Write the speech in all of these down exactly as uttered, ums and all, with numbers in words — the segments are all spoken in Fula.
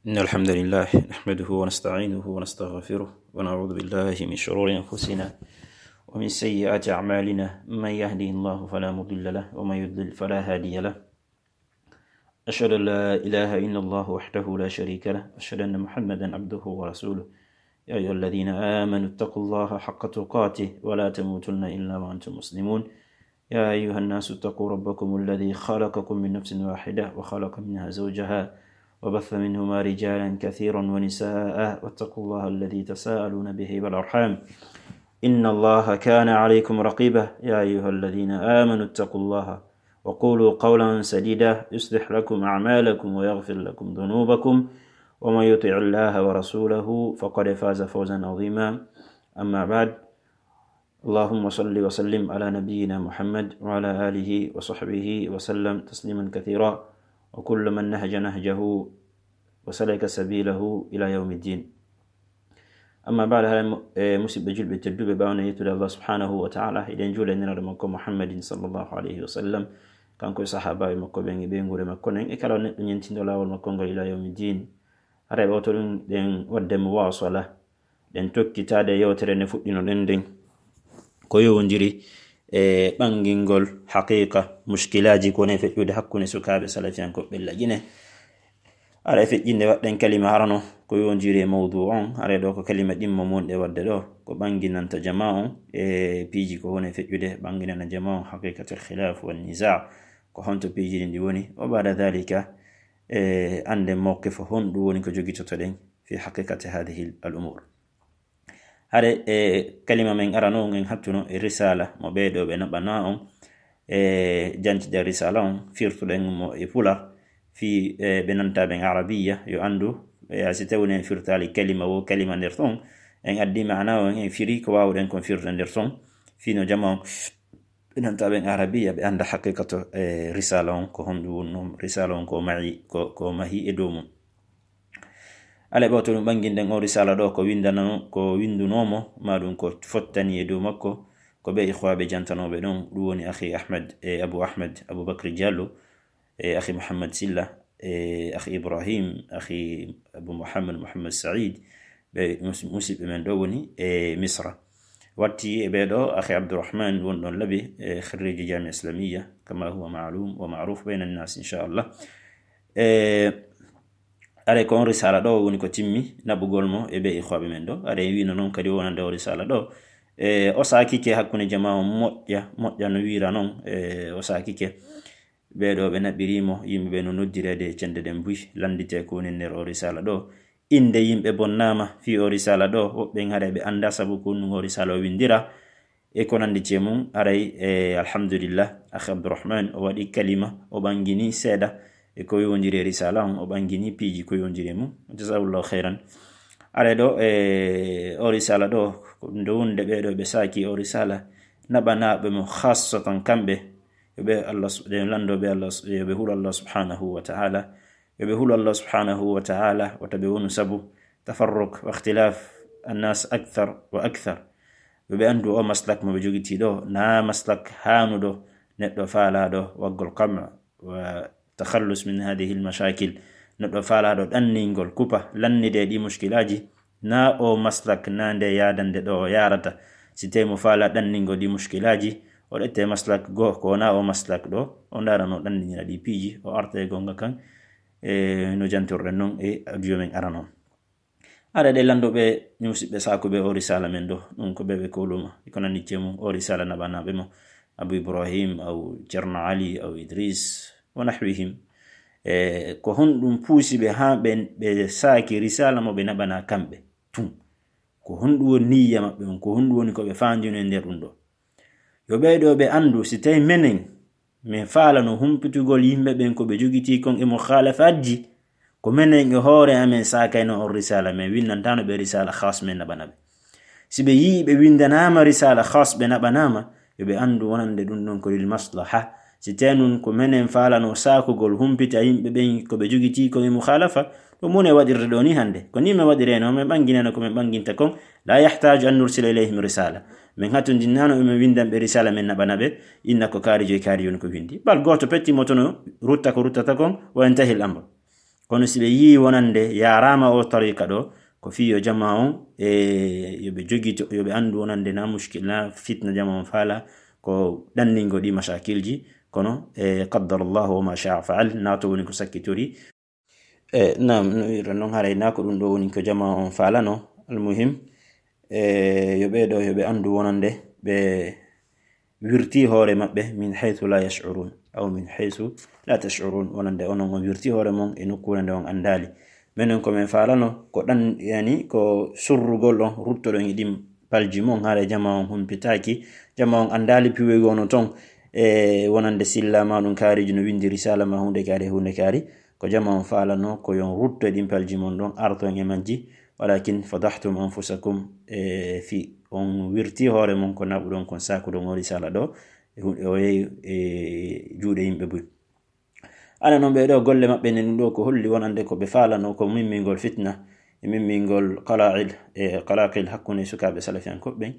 إن الحمد لله نحمده ونستعينه ونستغفره ونعوذ بالله من شرور أنفسنا ومن سيئات أعمالنا. من يهده الله فلا مضل له ومن يضلل فلا هادي له. أشهد أن لا إله إلا الله وحده لا شريك له. أشهد أن محمدا عبده ورسوله. يا أيها الذين آمنوا اتقوا الله حق تقاته ولا تموتن إلا وأنتم مسلمون. يا أيها الناس اتقوا ربكم الذي خلقكم من نفس واحدة وخلق منها زوجها وبث منهما رجالا كثيرا ونساء واتقوا الله الذي تساءلون به والأرحام إن الله كان عليكم رقيبا. يا أيها الذين آمنوا اتقوا الله وقولوا قولا سديدا يصلح لكم أعمالكم ويغفر لكم ذنوبكم ومن يطع الله ورسوله فقد فاز فوزا عظيما. أما بعد، اللهم صل وسلم على نبينا محمد وعلى آله وصحبه وسلم تسليما كثيرا وكل من نهج نهجه وسلك سبيله إلى يوم الدين. Amma baada, haray mo- e musidɓe julɓe tedduɓe, ɓawno yettude Allah subhanahu wa ta'ala, eɗen juula e nelaɗo makko Muhammadin sallallahu alayhi wa sallam, kanko e sahaabaaɓe makko ɓen e ɓeynguure makko nden, e kala neɗɗo ñentinɗo laawol makko ngol ila yawmi din. Haray ɓawto ɗum ɗen wadde muwasala, ɗen tokkitaade yewtere nde fuɗɗinoɗen nden, ko yowondiri e ɓangingol haqiqa mushkilaaji ko ne feƴƴude hakkunde sukaaɓe salafiyankoɓe Lagine. Haray feƴƴinde waɗɗen kalima harano ko yowondiri e mawdu on, haray ɗo ko kalima ɗimmo monɗe waɗde ɗo, ko ɓanginanta jama on e piiji ko woni feƴƴude, ɓanginana jama on haqiqatul khilaf wan niza, ko honto piiji ɗin ɗi woni, wa ba'da dhalika, e annde mawqif honɗum woni ko jogitotoɗen fi haqiqati hadhihi al umur. Hare e kalima men arano on, en hattuno e risala mo ɓeeɗo ɓe naɓana on, e jancide risala on, firtuɗen mo e pular, fi, e, ɓe nanta ɓen arabiya, yo anndu, e, si tawni en firtali kalima wo kalima nder ton, en addi maana on, en firi ko wawɗen kon firde nder ton, fino jama on, ɓe nanta ɓen arabiya, ɓe annda haqiqato, e, risala on, ko honɗum wonno risala on, ko mahi, ko, ko mahi e dow mum. Alay ɓawto ɗum ɓanginden o risala ɗo, ko windanano, ko windunoomo, ma ɗum ko fottani e dow makko, ko ɓe ikhwaɓe jantanooɓe ɗon, ɗum woni akhi Ahmed, e Abu Ahmed, Abu Bakri Diallo, e akhi Muhammad Silla, e akhi Ibrahim, akhi Abu Muhammad, Muhammad Said, ɓe mus-, musiɓɓe men ɗo woni e Misra. Watti e ɓee ɗo, akhi Abdurrahman won ɗon Labi, e kharriji Jamia Islamiyya, kama huwa ma'lum wa ma'ruf bayna an-nas, inshallah. E, are ko on risala ɗo woni ko timmi naɓugol mo e ɓe ikhwaɓe men ɗo. Are wino noon kadi wonande o risala ɗo. E, o saakike hakkunde jama on moƴƴa, moƴƴa no wiira noon, e, o saakike. Ɓee ɗo ɓe naɓɓirimo, yimɓe ɓe no noddireede e cende ɗen buy, lanndite ko woni nder o risala ɗo. Innde yimɓe bonnaama fii o risala ɗo, woɓɓe en haray ɓe annda sabu ko ɗum o risala o winndira, e ko nanndi e mum. Haray, e, alhamdulillah, akhi Abdurrahman, o waɗi kalima, o ɓangini seeɗa e ko yowondiri e risala on, o ɓangini piiji ko yowondiri e mum. Jazahullahu khairan. Haray ɗo, e, o risala ɗo, ko nde wonde ɓee ɗo ɓe saaki o risala, naɓanaaɓe mo khassatan kamɓe, yo ɓe Allah sub-, yo lanndo ɓe Allah sub-, yo ɓe hulu Allah subhanahu wa ta'ala. Yo ɓe hulu Allah subhanahu wa ta'ala, wata ɓe wonu sabu tafarruq wa ikhtilaf annas akthar wa akthar. Yo ɓe anndu o maslak mo ɓe jogitii ɗo, na maslak haanuɗo neɗɗo faalaaɗo waggol qam' wa takhallus min hadhihi al-mashakil. Neɗɗo faalaaɗo ɗanningol, kupa, lannide ɗi mushkilaaji, na o maslak, na nde yaadande ɗo o yaarata. Si tawi mo faala ɗanningol ɗi mushkilaaji, o ɗette maslak goo, ko wona o maslak ɗo, o ndaara no ɗanninira ɗi piiji, o arta e goonga kan, e no jantorɗen noon e audio men arano. Haray ɗe lanndo ɓe, musiɓɓe saakuɓe o risala men ɗo, ɗum ko ɓe ɓe kowluma, e ko nanndi e mum, o risala naɓanaaɓe mo, Abu Ibrahim, aw Ceerno Ali, aw Idris, wa nahwihim. E ko honɗum puusi ɓe haa ɓe, ɓe saaki risala mo ɓe naɓana kamɓe tun? Ko honɗum woni niyya maɓɓe on? Ko honɗum woni ko ɓe faandino e nder ɗum ɗo? Yo ɓee ɗo ɓe anndu, si tawi menen, men faalano humpitugol yimɓe ɓen ko ɓe jogitii kon e mukhalafatji, ko menen e hoore amen saakayno on risala, men winnantaano ɓe risala khas men naɓana ɓe. Si ɓe yii ɓe winndanaama risala khas ɓe naɓanaama, yo ɓe anndu wonande ɗum ɗon ko lil maslaha. Si tawi nun ko menen faalano saakugol humpita yimɓe ɓen ko ɓe jogitii kon e mukhalafa, ɗum woni e waɗirde ɗo ni hannde. Ko ni men waɗireno, men ɓanginano ko men ɓanginta kon. La yahtaju an nursila ilayhim risala. Men hatondinnano e men winndan ɓe risala men naɓana ɓe, inna ko kaari joyi kaari yoni ko winndi. Bal gooto pettimo tono rutta ko ruttata kon, wa yantahi al amr. Kono si ɓe yii wonande yaaraama o tariqa ɗo, ko fii yo jama on, e, yo ɓe jogito, yo ɓe anndu wonande na mushkil, na fitna jama on faala, ko ɗanningo ɗi mashakilji, kono, e, qaddara Allahu wa ma sha'a fa'al, na to woni ko sakkitori. E, naam, no wi'uɗon non, haray na ko ɗum ɗo woni ko jama on faalano. Almuhim, e, yo ɓe ɗo, yo ɓe anndu wonande ɓe wirti hoore maɓɓe min haythu la yash'urun, aw min haythu la tash'urun, wonande onon on wirti hoore mon e nokkuure nde on anndaali. Menen ko men faalano, ko ɗan, yani, ko surrugol on, ruttoɗon e ɗin palji mon, haray jama on humpitaaki, jama on anndaali piwoygo no ton, e wonande silla ma ɗum kaariji no windi risala ma huunde kaari, huunde kaari, ko jama on faalano, ko yon rutto e ɗin palji mon ɗon, arton e majji, walakin fadahtum anfusakum, e fi on wirti hoore mon ko naɓuɗon kon sakuɗon o risala ɗo, e hu-, o yehi e juuɗe yimɓe buy. Ana non ɓe ɗo golle maɓɓe nden ɗo ko holli wonande ko ɓe faalano ko mimmingol fitna, e mimmingol qala'il, e qalaqil hakkunde sukaaɓe salafiyankoɓe ɓen.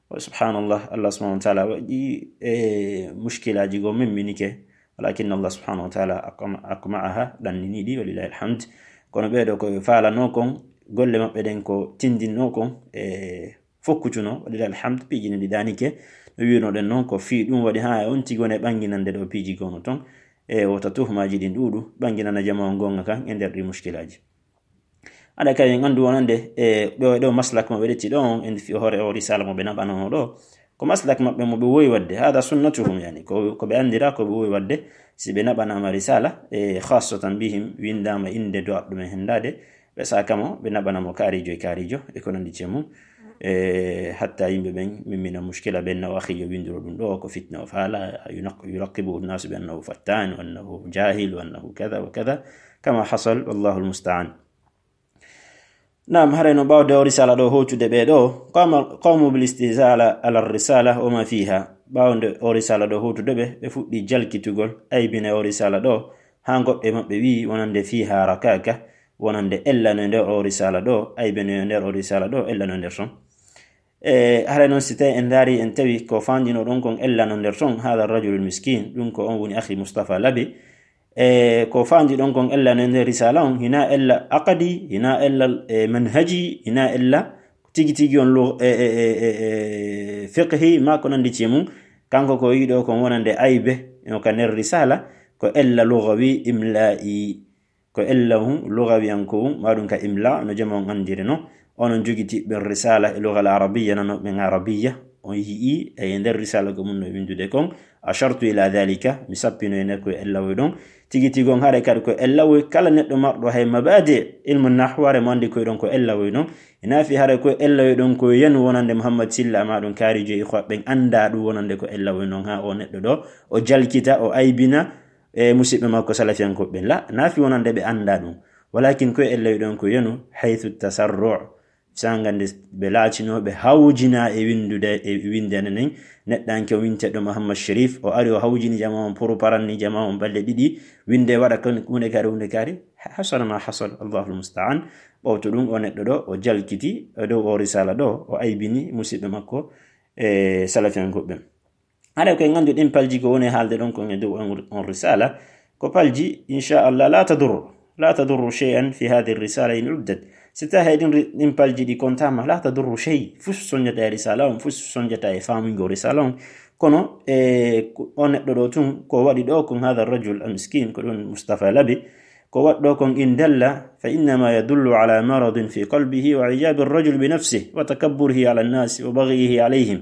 Wa subhanallah, Allah subhanahu wa ta'ala waɗi, e, mushkilaaji go mimminike, walakin Allah subhanahu wa ta'ala aqma-, aqma'aha, ɗannini ɗi, walillahi alhamd. Kono ɓe ɗo ko ɓe faalano kon, golle maɓɓe ɗen ko tindinno kon, e, fokkutuno, walillahi alhamd, piiji ɗin ɗi ɗaanike. No wi'unoɗen non, ko fii ɗum waɗi haa e on tigi woni e ɓanginande ɗo piiji gono ton. E wota tuhmaaji ɗin ɗuuɗu, ɓanginana jama on gonga kan e nder ɗi mushkilaaji. Aɗa kay en anndu wonande, e ɗo, e ɗo maslak mo ɓe ɗetti ɗo on, en fi hoore o risala mo ɓe naɓanano ɗo. Ko maslak maɓɓe mo ɓe wowi waɗde. Hada sunnatuhum, yani, ko, ko ɓe anndira, ko ɓe wowi waɗde. Si ɓe naɓanaama risala, e khassatan bihim, windaama innde do'aɗo ɗum e henndaade, ɓe saaka mo, ɓe naɓana mo kaarijo e kaarijo, e ko nanndi e mum. E hatta yimɓe ɓen mimmina mushkila ɓen, na o akhi yo winndiro ɗum ɗo, ko fitna o faala, yunaq-, yulaqibuhu nnasu bi annahu fattan, wa annahu jahil, wa annahu kada wa kada, kama hasal, wallahu almusta'an. Naam, haray no ɓawde o risala ɗo hootude ɓe ɗo, qama qawmu bil istihza ala, ala risala wa ma fiha. Ɓawde o risala ɗo hootude ɓe, ɓe fuɗɗi jalkitugol, aybina o risala ɗo, haa goɗɗo e maɓɓe wi'i wonande fiha rakaka, wonande ella no e nder o risala ɗo, aybe no e nder o risala ɗo, ella no e nder ton. E, haray noon si tawi en ndaari, en tawi ko faandino ɗon kon ella no nder ton, hada rajulul miskin, ɗum ko on woni akhi Mustafa Labe. E, ko faandi ɗon kon ella no e nder risala on, hina ella aqadi, hina ella, e, manhaji, hina ella tigi tigi on lu-, e, e, e, e, e, fiqhi, ma ko nandi ci mum. Kanko ko yiɗo kon wonande aybe, no ka nder risala, ko ella lugawi, imla'i. Ko ella hun, lugawiyanko hun, ma ɗum ka imla, no jama on andiri no. Onon jogiti ɓen risala e lugal arabiya, nano ɓen arabiya. On yi'i e nder risala ko mun no windude kon. Ashartu ila dhalika, mi sappino e nder ko ella woy ɗon. Tigi tigi on haɗa kadi ko ella woy kala neɗɗo marɗo hay mabadi ilmu nahwu, haɗa mo andi koy ɗon ko ella woy ɗon. Ina fi haɗa ko ella woy ɗon ko yanu wonande Muhammad Silla, ma ɗum kaarijo e ikhwa ɓen anda ɗum wonande ko ella woy ɗon. Ha o neɗɗo ɗo, o jalkita, o aybina, e musidɓe makko salafiyankoɓe ɓen. La, na fi wonande ɓe anda ɗum. Walakin koye ella ɗon ko yenu, haythu tasarru'. Sanga nde ɓe laacinoo, ɓe hawjina e windude, e windere nden. Neɗɗanke o winteɗo Muhammad Sharif, o ari o hawjini jama on, pour paranni jama on balɗe ɗiɗi. Winde waɗa kon, hunde kaari, hunde kaari. Hasala ma hasal, Allahul musta'an. Ɓawto ɗum, o neɗɗo ɗo, o jalkiti, e dow o risala ɗo, o aybini musidɓe makko, e salafiyankoɓe ɓen. Haɗa koye ngandu ɗin palji ko woni haalde ɗon kon e dow on, on risala, ko palji, inchallah, la tadur, la tadurru shay'an fi hadhihi risala in uddat. Si tawi hay ɗin ri-, ɗin palji ɗi kontama, la tadurru shay, fus sonjata e risala on, fus sonjata e faamuygo risala on. Kono, e, ko, o neɗɗo ɗo tun, ko waɗi ɗo kon, hadha rajul al miskin, ko ɗum Mustafa Labi, ko waɗɗo kon in dalla, fa innama yadullu ala maradin fi qalbihi wa ijabi rajul bi nafsihi wa takabburihi ala nnasi wa baghihi alayhim.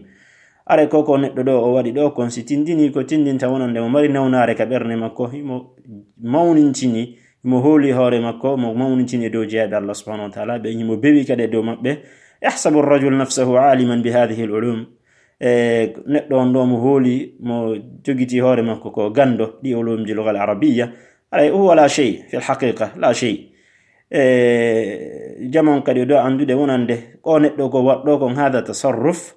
Are ko ko neɗɗo ɗo o waɗi ɗo kon, si tindini ko tindinta wonande mo mari nawnaare ka ɓernde makko, himo mawnintini, himo hooli hoore makko, mo mawnintini e dow jeyaaɓe Allah subhanahu wa ta'ala, ɓe himo bewi kadi e dow maɓɓe. Yahsabu rajul nafsahu aliman bi hadhihi al ulum. E neɗɗo on ɗo mo hooli, mo jogiti hoore makko ko gando ɗi ulumji lugal arabiyya. Aray, huwa la shay fil haqiqa, la shay. E, jamon kadi o ɗo anndude wonande ko neɗɗo ko waɗɗo kon hada tasarruf.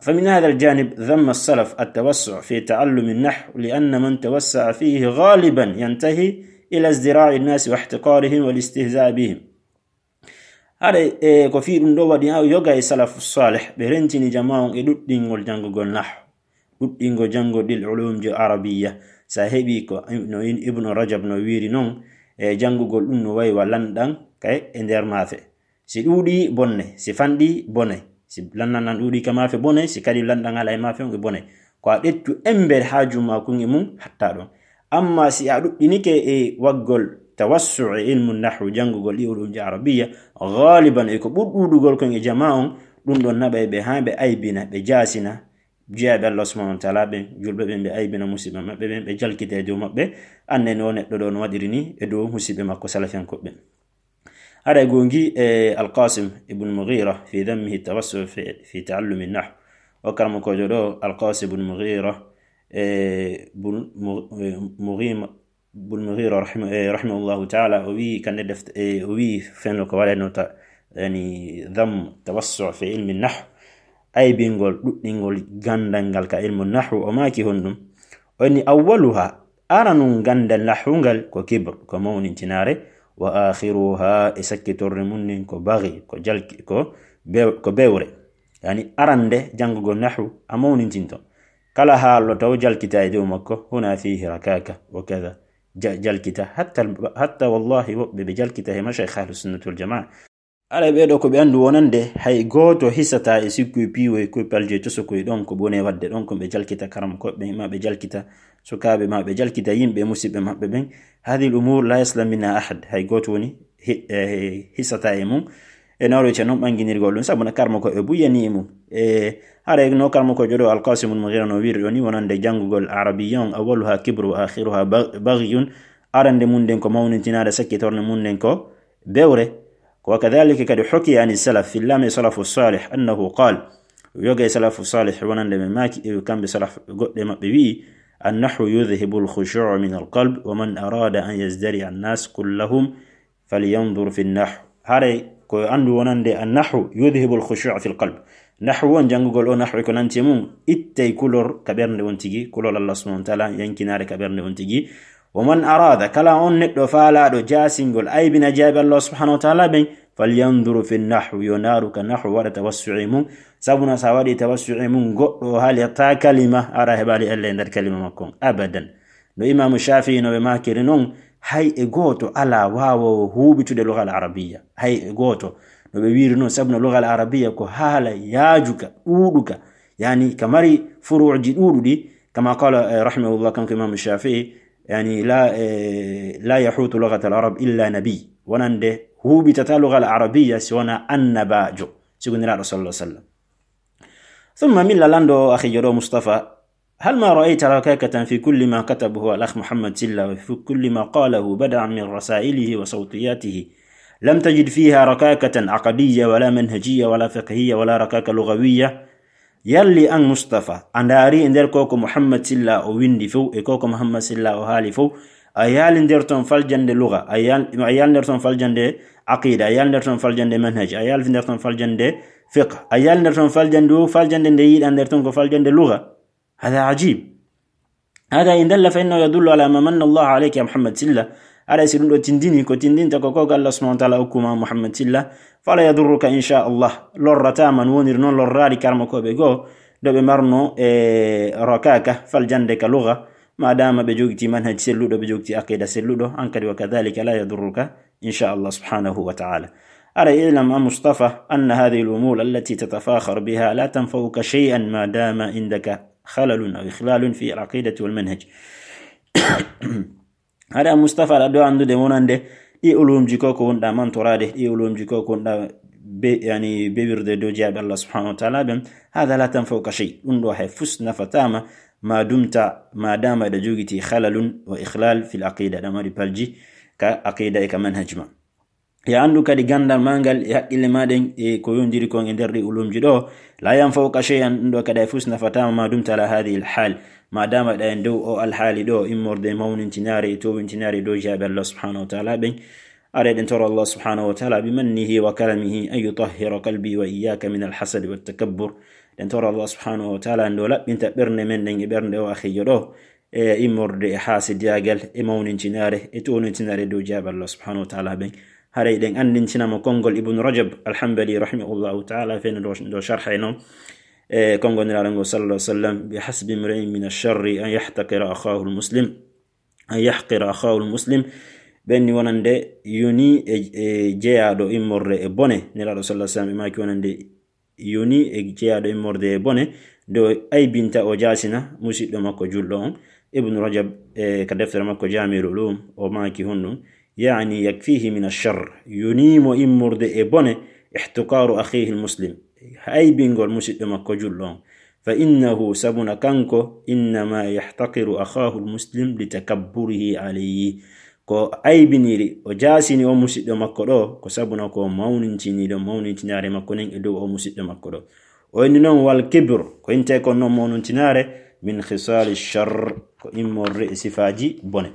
Fa min hada al janib dhamma as-salaf at-tawassu' fi ta'allumi an-nahw, li anna man tawassa'a fihi ghaliban yantahi ila izdira'i an-nas wa ihtiqarihim wal istihza' bihim. Haɗa, e, ko fii ɗum ɗo waɗi, a yoga e salafu salih, ɓe rentini jama on e ɗuɗɗingol janngugol nahw, ɗuɗɗingol janngol ɗil ulumji arabiyya. Sa heɓi ko no in-, Ibnu Rajab no wiiri non, E janngugol ɗum no wayi wa lanɗan kay e nder maafe. Si ɗuuɗi bonne, si fanɗi bone, si lanɗan ɗan ɗuuɗi ka maafe bone, si kadi lanɗan alaa e maafe on e bone. Ko a ɗettu embe haaju maa kun e mun hatta ɗon. Amma si a ɗuɗɗinike e waggol tawassu e ilmu nahwu, janngugol ɗi ulumji arabiya, gaaliban e ko ɓur ɗuuɗugol kon e jamaa on, ɗum ɗon naɓay ɓe haa ɓe aybina, ɓe jaasina, jiyaaɓe Allah subhanahu wa ta'ala ɓen, julɓe ɓen, ɓe aybina musiɓɓe maɓɓe ɓen, ɓe jalkita e dow maɓɓe. Anne no neɗɗo ɗo no waɗiri ni e dow musiɓɓe makko salafiyankoɓe ɓen. Haray gongi e Al-Qasim ibn Mughira fi dhammihi tawassu fi, fi ta'allumi nahw. O karamokoojo ɗo, Al-Qasim ibn Mughira, e, bun, Mu-, e, Mughima, bun Mughira rahima-, e, rahimahullahu ta'ala, o wi kande deft-, e, o wi fenno ko waɗanoo ta, yani, dham tawassu fi ilmi nahw. Aybingol, ɗuɗɗingol gandal ngal ka ilmu nahwu, o maaki honɗum? O ni, "Awwaluha, aranun gandal nahwu ngal ko kibr, ko mawnintinaare, wa akhiruha, e sakkitorde mun nden ko baghi, ko jalki, ko bew-, ko bewre." Yani arande janngugol nahwu a mawnintinto. Kala haallo taw jalkita e dow makko, huna fihi rakaka, wa kadha. Ja-, jalkita, hatta, hatta wallahi woɓɓe ɓe jalkita he mashayikh ahlus sunnati wal jamaa. Aray ɓee ɗoo ko ɓe anndu wonande hay gooto hisataa e sikku e piiwo e koy palje tosokoy ɗon ko bone waɗde ɗon, ko ɓe jalkita karamokooɓe ɓen, ma ɓe jalkita sukaaɓe, ma ɓe jalkita yimɓe e musiɓɓe maɓɓe ɓen. Hadhihi l-umur la yaslam minha ahad. Hay gooto woni hi-, eh, hisataa e mum. E nawroyta noon ɓannginirgol ɗum, sabu no karamokooɓe buyyani e mum. E haray no karamokoojo ɗo Al-Qasim ibn Mughira no wiiri ɗo ni wonande janngugol arabiya on, awwaluha kibru wa akhiruha ba-, baghiyun. Arande mum nden ko mawnintinaade, sakkitornde mum nden ko bewre. Ko wa kadhalika kadi hukiya ani salaf, fillama e salafu salih, annahu qal, yoga e salafu salih wonande ɓe maaki, e kamɓe salaf goɗɗe maɓɓe wi'i, "Annahwu yudhibu al-khushu'a min al-qalb, wa man arada an yazdari'a an-nas kullahum falyanzur fi an-nahw." Haray ko anndu wonande annahwu yudhibu al-khushu'a fi al-qalb. Nahwu on, janngugol o nahwu e ko nanti e mum, ittay kulol ka ɓernde on tigi, kulol Allah subhanahu wa ta'ala yankinaare ka ɓernde on tigi. Wa man arada, kala on neɗɗo faalaaɗo jaasingol, aybina jiyaaɓe Allah subhanahu wa ta'ala ɓen, falyanzuru fi nahw, yo ndaaru ka nahw, waɗa tawassu'i mum. Sabuna sa waɗi tawassu'i mum, goɗɗo o haalirta kalima, ara heɓaali ella e nder kalima makko on. Abadan. No Imaamu Shafi'i no ɓe maakiri non, hay e gooto alaa waawoowo huuɓitude lugal arabiyya. Hay e gooto. No ɓe wiiri non, sabuna lugal arabiyya ko haala yaajuka, ɗuuɗuka. Yani ka mari furuuji ɗuuɗuɗi, kama qala, eh, rahimahullah, kanko Imaamu Shafi'i, yani, la, eh, la yahutu lughatal arab illa nabi. Wonande huuɓitata lugal arabiyya si wona annabaajo, sigundiraaɗo sallallahu alaihi wasallam. Thumma min lalando akhijo ɗo Mustafa, hal ma ra'ayta rakakatan fi kulli ma katabahu al-akh Muhammad Silla wa fi kulli ma qalahu bada'an min rasailihi wa sawtiyatihi. Lam tajid fiha rakakatan aqdiyya wala manhajiyya wala fiqhiyya wala rakaka lughawiyya. Yalli an Mustafa, a ndaari e nder ko ko Muhammad Silla o windi fow, e ko ko Muhammad Silla o haali fow, a yaali nder ton faljande lugha, a yaal-, a yaali nder ton faljande aqida, a yaali nder ton faljande manhaj, a yaali nder ton faljande fiqh, a yaali nder ton faljande, faljande nde yiɗa nder ton ko faljande lugha. Hada ajib. Hada in dalla fa innahu yadullu ala ma manna Allahu alayka ya Muhammad Silla. Aray si ɗum ɗo tindini, ko tindinta ko ko Allah subhanahu wa ta'ala hokkuma Muhammad Silla, fala yadurruka insha Allah. Lorrata man woniri noon lorraari karmakooɓe goo, ɗo ɓe marno e rakaka, faljande ka lugha, ma dama ɓe jogiti manhaj selluɗo, ɓe jogiti aqida selluɗo, an kadi wa kadhalika la yadurruka insha Allah subhanahu wa ta'ala. Aray i'lam a Mustafa anna hadhihi al-umur allati tatafakhar biha la tanfa'uka shay'an ma dama indaka khalalun aw ikhlalun fi al-aqidati wal manhaj. Haɗa Mustafa aɗa ɗo anndude wonande ɗi ulumji ko ko wonɗa mantoraade, ɗi ulumji ko ko wonɗa be, yani, bewirde dow jeyaaɓe Allah subhanahu wa ta'ala ɓen, hada la tanfa'uka shay. Ɗum ɗo hay fus nafataama ma dumta, ma dama eɗa jogiti khalalun wa ikhlal fil aqida, ɗa mari palji ka aqida e ka manhaj ma. Ya anndu kadi ganndal ma ngal e haqqille ma ɗen e ko yondiri kon e nder ɗi ulumji ɗo, la yanfa'uka shay'an, ɗum ɗo kadi hay fus nafataama ma dumta ala hadhihi al hal, ma dama ɗa e dow o alhaali ɗo, immorde e mawnintinaare e towintinaare e dow jeyaaɓe Allah subhanahu wa ta'ala ɓen. Ara eɗen toro Allah subhanahu wa ta'ala bi mannihi wa karamihi an yutahhira qalbi wa iyyaka min al hasad wa takabbur. Eɗen toro Allah subhanahu wa ta'ala nde o laɓɓinta ɓernde men ɗen e ɓernde o akhijo ɗo, e immorde e haasidiyaagal, e mawnintinaare, e townintinaare dow jeyaaɓe Allah subhanahu wa ta'ala ɓen. Haray ɗen anndintinama konngol Ibn Rajab al-Hanbali rahimahullahu ta'ala feno ɗo, ɗo sharha e non. E konngol Nulaaɗo ngol sallallahu alaihi wasallam, "Bi hasbi imri'in min ash-sharri an yahtakira akhahu al-muslim, an yahqira akhahu al-muslim." ɓen ni wonande yoni e, e jeyaaɗo immorde e bone. Nelaaɗo sallallahu alaihi wasallam ɓe maaki wonande yoni e jeyaaɗo immorde e bone, nde o aybinta, o jaasina musiɗɗo makko julɗo on. Ibnu Rajab, e, ka deftere makko Jami'ul Ulum, o maaki honɗum, يعني يكفيه من الشر, yoni mo immorde e bone, احتقار أخيه المسلم, aybingol musiɗɗo makko julɗo on. فإنه, sabuna kanko, إنما يحتقر أخاه المسلم لتكبره عليه. Ko aybiniri, o jaasini o musiɗɗo makko ɗo, ko sabuna ko mawnintiniɗo mawnintinaare makko nden e dow o musiɗɗo makko ɗo. O inni non, والكبر, ko inte kon non mawnuntinaare, من خصال الشر, ko immorde e sifaaji bone.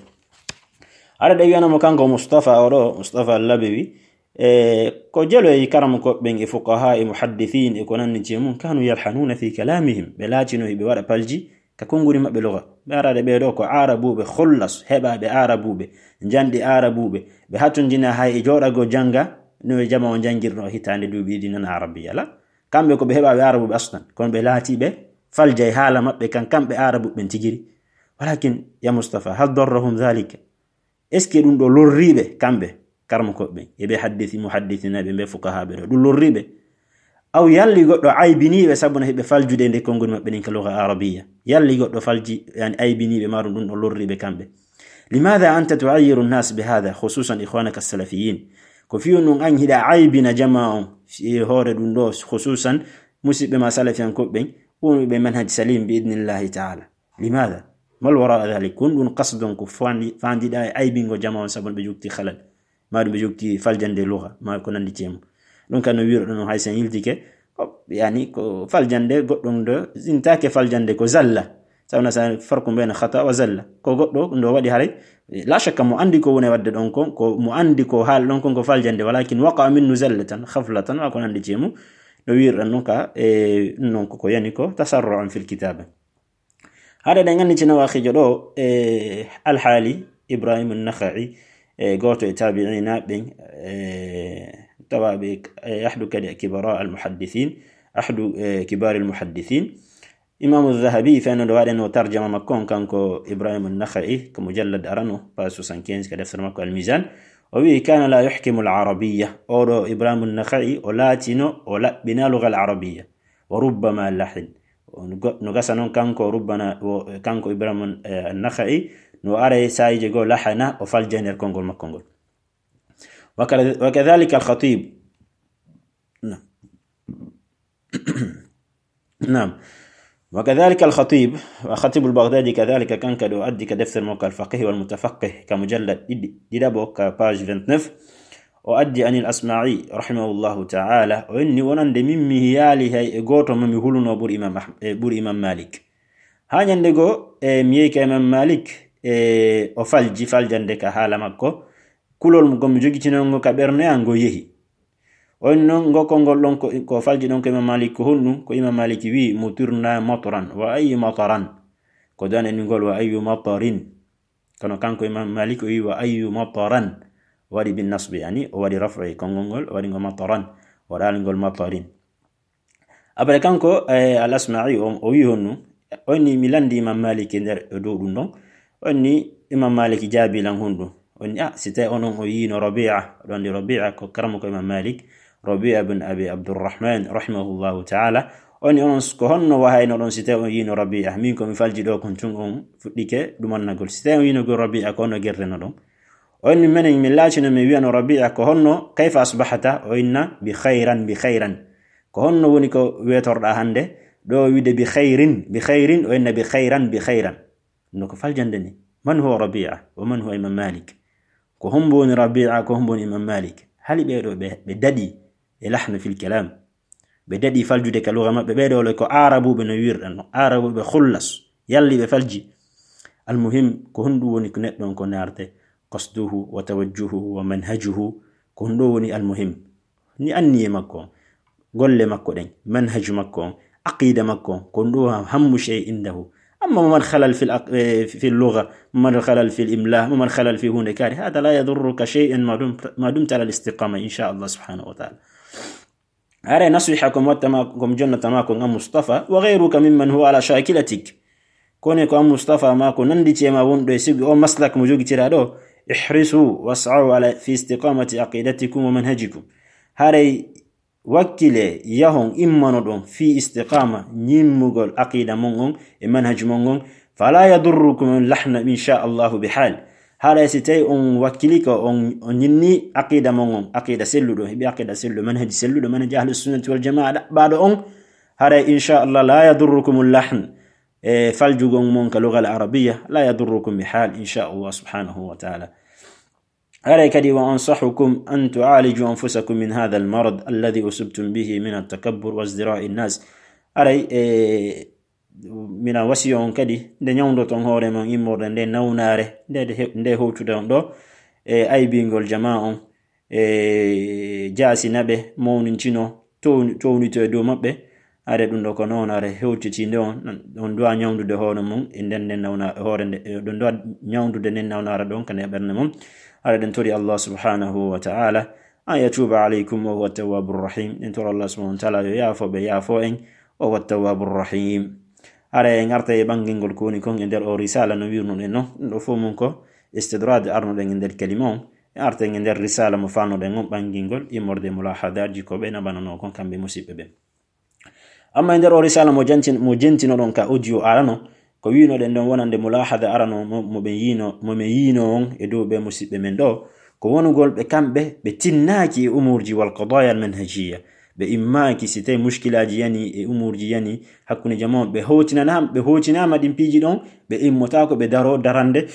Aɗa ɗe wiyana mo kanko Mustafa o ɗo, Mustafa Labewi, e ko jelo e karamokooɓe ɓen e fuqaha e muhaddithin e ko nanndi e mum, كانوا يلحنون في كلامهم, ɓe laatino hiɓe waɗa palji ka konnguli maɓɓe lugha. Ɓe araade ɓee ɗo ko Aarabuuɓe khullas, heɓaaɓe Aarabuuɓe, njanɗi Aarabuuɓe, ɓe hatonjina hay e jooɗagol jannga no e jama on janngirno hitaande duuɓi ɗiɗi nana Arabiya la. Kamɓe ko ɓe heɓaaɓe Aarabuuɓe aslan, kono ɓe laati ɓe falja e haala maɓɓe kan, kamɓe Aarabuuɓe ɓen tigiri. Walakin, ya Mustafa, هل ضرهم ذلك؟ Est-ce que ɗum ɗo lorriiɓe kamɓe, karamokooɓe ɓen, e ɓe haddisi, muhaddisinaaɓe ɓe, fuqahaaɓe ɗo, ɗum lorriiɓe? Aw yalli goɗɗo aybiniiɓe sabu no hiɓe faljude nde konngol maɓɓe nden ka lugha Arabiya? Yalli goɗɗo falji, yani, aybiniiɓe, maa ɗum ɗum ɗo lorriiɓe kamɓe? لماذا أنت تعير الناس بهذا، خصوصا إخوانك السلفيين؟ Ko fii honɗum an hiɗa aybina jamaa on, fii hoore ɗum ɗo, khususan musiɓɓe ma salafiyankooɓe ɓen, wonɓe manhaj salim, bi idnillahi ta'ala. لماذا؟ ما الوراء ذلك؟ Ko honɗum qasdon ko fandi-, fandiɗa e aybingo jamaa on sabu ɓe jokti halal, maa ɗum ɓe jokti faljande lugha, maa ko nanndi e mum? Ɗum kan no wi'irɗon non, hay sen yiltike, ko, yani, ko faljande goɗɗum ɗo, sintaake faljande ko zalla. Sawna sa farqu bayna khata wa zalla. Ko goɗɗo ɗo waɗi haray, la shakka mo anndi ko woni waɗde ɗon kon, ko mo anndi ko haali ɗon kon ko faljande, walakin waqa minhu zallatan, khaflatan, wa ko nanndi e mum. No wi'irɗon non ka, e, non ko, ko yani ko tasarru'an fil kitaba. Haɗa ɗen anndi ci nawa hijo ɗo, e, Alhaali Ibrahim An-Nakha'i, e, gooto e tabi'ina ɓen, e, tawa ɓe, e, ahdu kadi kibara al-muhaddithin, ahdu, e, kibari al-muhaddithin. Imaamu Dhahabi fenno ɗo waɗeno tarjama makko on, kanko Ibrahim An-Nakha'i, ko mujallad arano, page soixante-quinze, ka deftere makko Al-Mizan. O wi'i, كان لا يحكم العربية. Oɗo Ibrahim An-Nakha'i, o laatino, o laɓɓina lugha al-Arabiyya. وربما لحن. No gasa non kanko rubbana, o, kanko Ibrahim, eh, An-Nakha'i, no ara e saa'iiji goo lahana, o falja nder konngol makko ngol. وكذ-، وكذلك الخطيب. نعم. نعم. وكذلك الخطيب، الخطيب البغدادي كذلك كان كدو أدي كدفتر موقع الفقيه والمتفقه كمجلد ديدابو كباج vingt-neuf. O addi anil Asma'i, rahimahullahu ta'ala, o inni wonande min mi hiyaali hay e gooto mo mi huluno ɓuri Imam Ahm-, e ɓuri Imam Malik. Haa ñande goo, e, mi yehi ka Imam Malik, e, o falji faljande ka haala makko, kulol ngol mi jogitinoo ngo ka ɓernde an ngo yehi. O inni non ngo konngol ɗon ko, ko falji ɗon ko Imam Malik ko honɗum? Ko Imam Malik wi'i, مطرنا مطرا، وأي مطرا. Ko dan en ngol, وأي مطر. Kono kanko Imam Malik o wi'i, وأي مطرا. O waɗi bin nasbi, yani, o waɗi raf'i konngol ngol, o waɗi ngo mataran. O waɗaali ngol matarin. Après kanko, eh, Al-Asma'i, o, o wi'i honɗum? O inni mi lanndi Imam Malik e nder, e dow ɗum ɗon. O inni Imam Malik jaabi lan honɗum? O inni, ah, si tawi onon o yiino Rabi'a, oɗon anndi Rabi'a ko karamoko Imam Malik, Rabi'a bin Abi Abdurrahman, rahimahullahu ta'ala. O inni onon ko honno wahaynoɗon si tawi on yiino Rabi'a? Min ko mi falji ɗo kon tun on fuɗɗike ɗumannagol. Si tawi on yiinogol Rabi'a, ko honno gertenoɗon? O inni menen min laatino min wi'ano Rabi'a, ko honno, كيف أصبحت؟ O inna, بخيرا، بخيرا. Ko honno woni ko weetorɗa hannde? Ɗo wi'ude بخير، بخير, o inna بخيرا، بخيرا. No ko faljande ni. من هو ربيعة؟ ومن هو إمام مالك؟ Ko hombo woni Rabi'a, ko hombo woni Imam Malik? Hali ɓee ɗo ɓe, ɓe daɗi e lahnu fil kalam. Ɓe daɗi faljude ka lugha maɓɓe. Ɓee ɗo le ko Aarabuuɓe no wi'irɗen no. Aarabuuɓe khullas. Yalli ɓe falji. Al-muhim, ko honɗum woni ko neɗɗo on ko naarte? قصده وتوجهه ومنهجه. Ko honɗum woni al-muhim? Ni anniye makko on, golle makko ɗen, manhaju makko on, aqida makko on, ko ɗum ɗo hammu shay indahu. Amma mo mari halal fil aq-, eh, fil lugha, mo mari halal fil imla, mo mari halal fi hunde kadi, hada la yadurruka shay'an ma dum-, ma dumta ala al-istiqama, insha Allah subhanahu wa ta'ala. Are nasiha ko mi watta ma, ko mi jonnata ma ko ngam Mustafa, wa ghayruka mimman huwa ala shakilatik. Kono ko an Mustafa ma ko nandi ceema wonɗo e sigi o maslak mo jogitira ɗo, احرصوا واسعوا على، في استقامة عقيدتكم ومنهجكم. Haray wakkile yahon immanoɗon fii istiqama ñimmugol aqida mon on e manhaj mon on. فلا يضركم اللحن إن شاء الله بحال. Haray si tawi on wakkili ko on, on ñinni aqida mon on, aqida selluɗo, heɓi aqida selluɗo, manhaji selluɗo, manhaji ahlu sunnati wal jamaa ɗaɓɓaɗo on, haray إن شاء الله لا يضركم اللحن. E faljugol mon ka lugal arabiya, لا يضركم بحال إن شاء الله سبحانه وتعالى. Haray kadi, وأنصحكم أن تعالجوا أنفسكم من هذا المرض الذي أصبتم به من التكبر وازدراء الناس. Haray, e, mina wasiyo on kadi, nde ñawndoton hoore mon immorde nde nawnaare, nde, nde he-, nde hewtude on ɗo, e aybingol jamaa on, e jaasina ɓe, mawnincino, town-, townito e dow maɓɓe. Haray ɗum ɗo ko nawnaare hewtitiinde on, on duwa ñawndude hoore mum e nden nden nawna-, hoore nde, e ɗon duwa ñawndude nden nawnaare ɗon ka nder ɓernde mum. Haray ɗen tori Allah subhanahu wa ta'ala an yatuba alaykum wa huwa tawwabur rahim. Ɗen tori Allah subhanahu wa ta'ala yo yaafo ɓe, yaafo en, wa huwa tawwabur rahim. Haray en arta e ɓangingol ko woni kon e nder o risala no wirnuɗen non. Ɗum ɗo fof mum ko istidrad arnuɗen e nder kalima on. En arta e nder risala mo fannoɗen on ɓangingol immorde mulahadaji ko ɓe naɓanano kon kamɓe musiɓɓe ɓen. Amma e nder o risala mo jantin-, mo jentinoɗon ka audio arano, ko winoɗen ɗon wonande mulahada arano mo, mo ɓen yino, mo men yino on e dow ɓe musiɓɓe men ɗo, ko wonugol ɓe kamɓe, ɓe tinnaaki e umurji wal qadaya al manhajiya. Ɓe immaaki si tawi mushkilaji yani e umurji yani hakkunde jamaa on, ɓe hewtinana-, ɓe hewtinama ɗin piiji ɗon, ɓe immotaako ɓe daro darande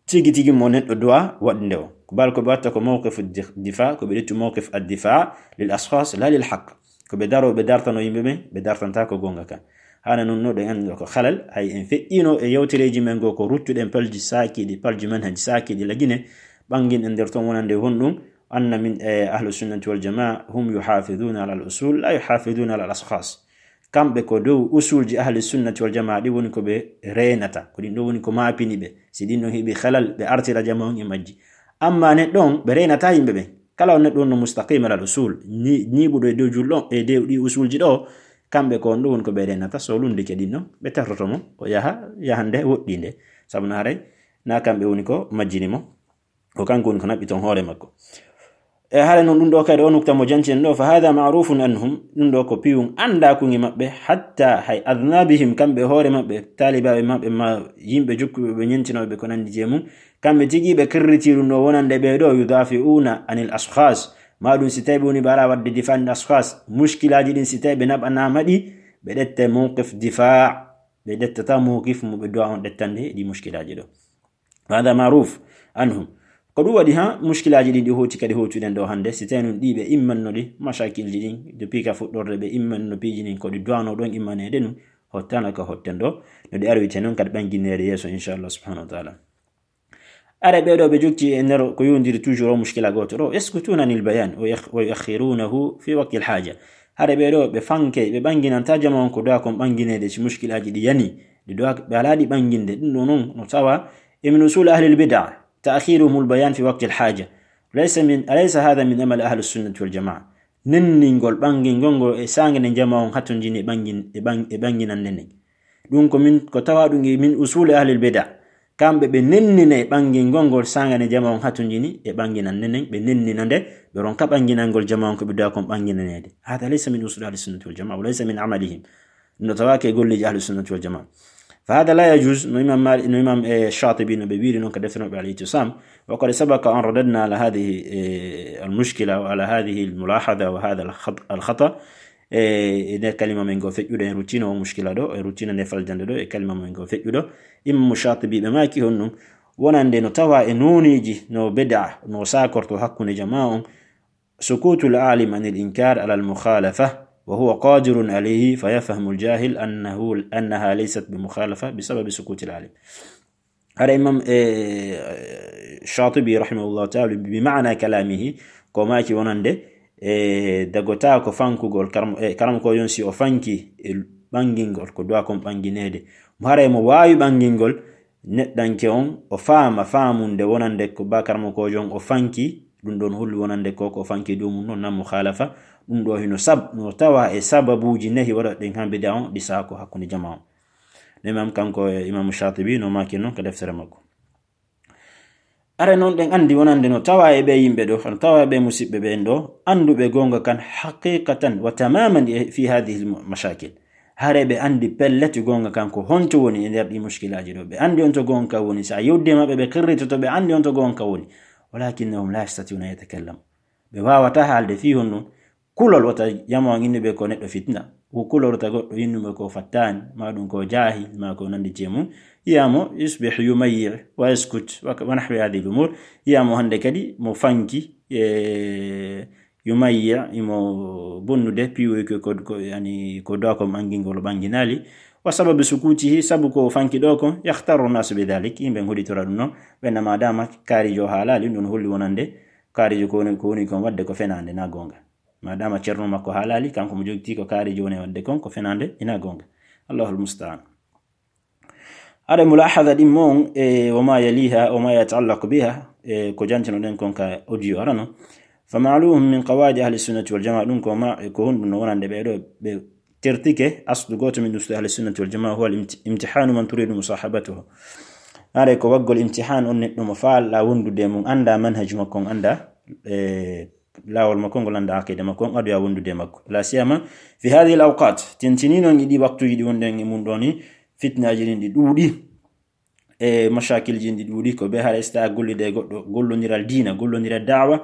tigi tigi mo neɗɗo duwa waɗnde o. Ko bal ko ɓe watta ko mawqif di-, difa, ko ɓe ƴettu mawqif ad-difa lil ashkhas la lil haqq. Ko ɓe daro, ɓe dartano yimɓe ɓen, ɓe dartanta ko gonga kan. Hana nun no ɗen anndi ko halal, hay en feƴƴino e yewtereji men go ko ruttuɗen palji saakiɗi, palji manhaji saakiɗi lagine, ɓangin e nder ton wonande honɗum, anna min, e, ahlu sunnati wal jamaa, hum yuhafiduna ala al usul, la yuhafiduna ala al ashkhas. Kamɓe ko dow usulji ahli sunnati wal jamaa ɗi woni ko ɓe reenata, ko ɗin ɗo woni ko maapini ɓe. Si ɗin ɗon heɓi halal, ɓe artira jamaa on e majji. Amma neɗɗo on, ɓe reenata yimɓe ɓen. Kala on neɗɗo on no mustaqim ala al usul, ñi-, ñiiɓuɗo e dow julɗo, e dow ɗi usulji ɗo, kamɓe ko on ɗo woni ko ɓe reenata. So lundike ɗin ɗon, ɓe tartoto mo, o yaha, yahande woɗɗinde. Sabu na haray, na kamɓe woni ko majjini mo. Ko kanko woni ko naɓɓi ton hoore makko. E haray non ɗum ɗo kadi o nukta mo janci en ɗo, fa hada ma'rufun anhum, ɗum ɗo ko piwum anndakun e maɓɓe, hatta hay adnabihim, kamɓe hoore maɓɓe, taalibaaɓe maɓɓe, ma yimɓe jokkuɓe ɓe ñentinooɓe ko nanndi je mum, kamɓe tigi ɓe kirriti ɗum ɗo wonande ɓe ɗo, yudafi'una anil ashkhas, ma ɗum si tawi ɓe woni ɓe ara waɗde difa anil ashkhas, mushkilaaji ɗin si tawi ɓe naɓanaama ɗi, ɓe ɗetta mawqif difa, ɓe ɗettata mawqif mo ɓe duwa on ɗettande e ɗi mushkilaaji ɗo. Hada maruf anhum. Ko ɗum waɗi ha mushkilaaji ɗin ɗi hoti kadi hotuɗen ɗo hannde, si tawi nun ɗi ɓe immanno ɗi, mashakilji ɗin, depuis ka fuɗɗorde ɓe immanno piiji ɗin, ko ɗi duwano ɗon immaneede nun, hottana ka hotten ɗo, no ɗi arwite nun kadi ɓanginneede yeeso, inchallah subhanahu wa taala. Are ɓe ɗo ɓe jokki e nder ko yondiri toujours o mushkila gooto ɗo, yaskutuna anil bayan wa yakh-, wa yuakhirunahu fi waqtil haja. Hare ɓe ɗo ɓe fanke, ɓe ɓanginanta jama on ko duwa kon ɓangineede si mushkilaaji ɗi yani, ɗi duwa ɓe alaa ɗi ɓanginde. Ɗum ɗo non no tawa e min usul ahlil bid'a, ta'khiruhumul bayan fi waqtil haja. Laysa min, alaysa hadha min amali ahli sunnati wal jamaa? Nenningol ɓangingol ngol e saanga nde jama on hatonjini e ɓangin-, e ɓang-, e ɓanginande nden. Ɗum ko min, ko tawa ɗum e min usuli ahlil bid'a. Kamɓe ɓe nennina e ɓangingol ngol saanga nde jama on hatonjini e ɓanginande nden, ɓe nennina nde, ɓe ronka ɓanginangol jama on ko ɓe duwa kon ɓanginaneede. Hada laysa min usuli ahli sunnati wal jamaa, wa laysa min amalihim. No tawaake e golleeji ahli sunnati wal jamaa. Fa hada la yajuz, no imam Mali-, no imam, eh, Shatibi no ɓe wiiri non ka deftere maɓɓe Al-I'tisam. Wa qad sabaqa an radadna ala hadhihi, eh, al-mushkila wa ala hadhihi al-mulahadha wa hadha al-khat-, al-khata. E, e nder kalima men ngo feƴƴuɗo, en ruttino o mushkila ɗo, en ruttino nde faljande ɗo, e kalima men ngo feƴƴuɗo. Imam Shatibi ɓe maaki honɗum, wonande no tawa e nooneeji, no bid'a, no saakorto hakkunde jamaa on, sukutul alim anil inkar ala al mukhalafa, wa huwa qadirun alayhi, fa yafhamu al jahil annahu, annaha laysat bi mukhalafa bi sababi sukutil alim. Hara imam, eh, Shatibi rahimahullahu ta'ala bi ma'na kalamihi, ko maaki wonande, eh, dagota ko fankugol karam-, eh, karamoko yon si o fanki e ɓangingol, ko duwa kon ɓangineede. Mo haray mo waawi ɓangingol, neɗɗanke on, o faama faamunde wonande ko ba karamokoojo on o fanki, ɗum ɗon holli wonande ko, ko fanki dow mum non na mukhalafa, ɗum ɗo hino sab-, no tawa e sababuuji nahi waɗa ɗen ha bida on, ɗi saako hakkunde jama on. No imam kanko e imam Shatibi no maaki non ka deftere makko. Are noon ɗen anndi wonande no tawa e ɓe yimɓe ɗo, no tawa e ɓe musiɓɓe ɓen ɗo, annduɓe goonga kan haqiqatan wa tamaman e fi hadhihi al mashakil. Hare ɓe anndi pellet goonga kan ko honto woni e nder ɗi mushkilaaji ɗo. Ɓe anndi on to goonga kan woni. So a yewdi e maɓɓe, ɓe qirritoto, ɓe anndi on to goonga kan woni. Walakinnahum la yastati'una an yatakallamu. Ɓe waawataa haalde fii honno kulol wota yamo an innuɓe ko neɗɗo fitna. Ko kulol wota goɗɗo innuɓe ko fattaani, maa ɗum ko jaahil, maa ko nanndi e mum. Yamo yusbih yumayyi wa yaskut wa, wa nahwi hadhihi al umur. Yamo hannde kadi mo fanki, e, yumayyi, imo bonnude, piiwoy ko, ko, ko, yani, ko dow ko ɓangingol ɓanginaali. Wa sababu sukutihi, sabu ko fanki ɗo ko, yakhtaru nasu bi dhalik, yimɓe ngoditora ɗum no, ɓe na madama kaarijo haalaali, ɗum holli wonande, kaarijo ko woni, ko woni kon wadde ko fenaande na goonga. Madama ceerno makko haalaali, kanko mo jogiti ko kaarijo woni wadde kon, ko fenaande ina goonga. Allahul musta'an. Aɗa mulahada ɗin mon, e, wa ma yaliha, wa ma yataallaqu biha, e, ko jantinoɗen kon ka audio arano. Fa ma'lumun min qawaidi ahli sunnati wal jamaa, ɗum ko ma, ko honɗum no wonande ɓe ɗo, ɓe tertike aslu gooto min usuli ahli sunnati wal jamaa, huwa al imti-, imtihanu man turidu musahabatuhu. Are ko waggol imtihan on neɗɗo mo faala wondude e mum, annda manhaj makko on, annda, e, laawol makko ngol, annda aqida makko on, adoya wondude e makko. La siyama fi hadhihi al awqat, tintini noon e ɗi waktuji ɗi wonɗen e mum ɗo ni, fitnaji ɗin ɗi ɗuuɗi, e mashakilji ɗin ɗi ɗuuɗi, ko ɓe hara ista gollude e goɗɗo, gollondiral diina, gollondiral da'wa,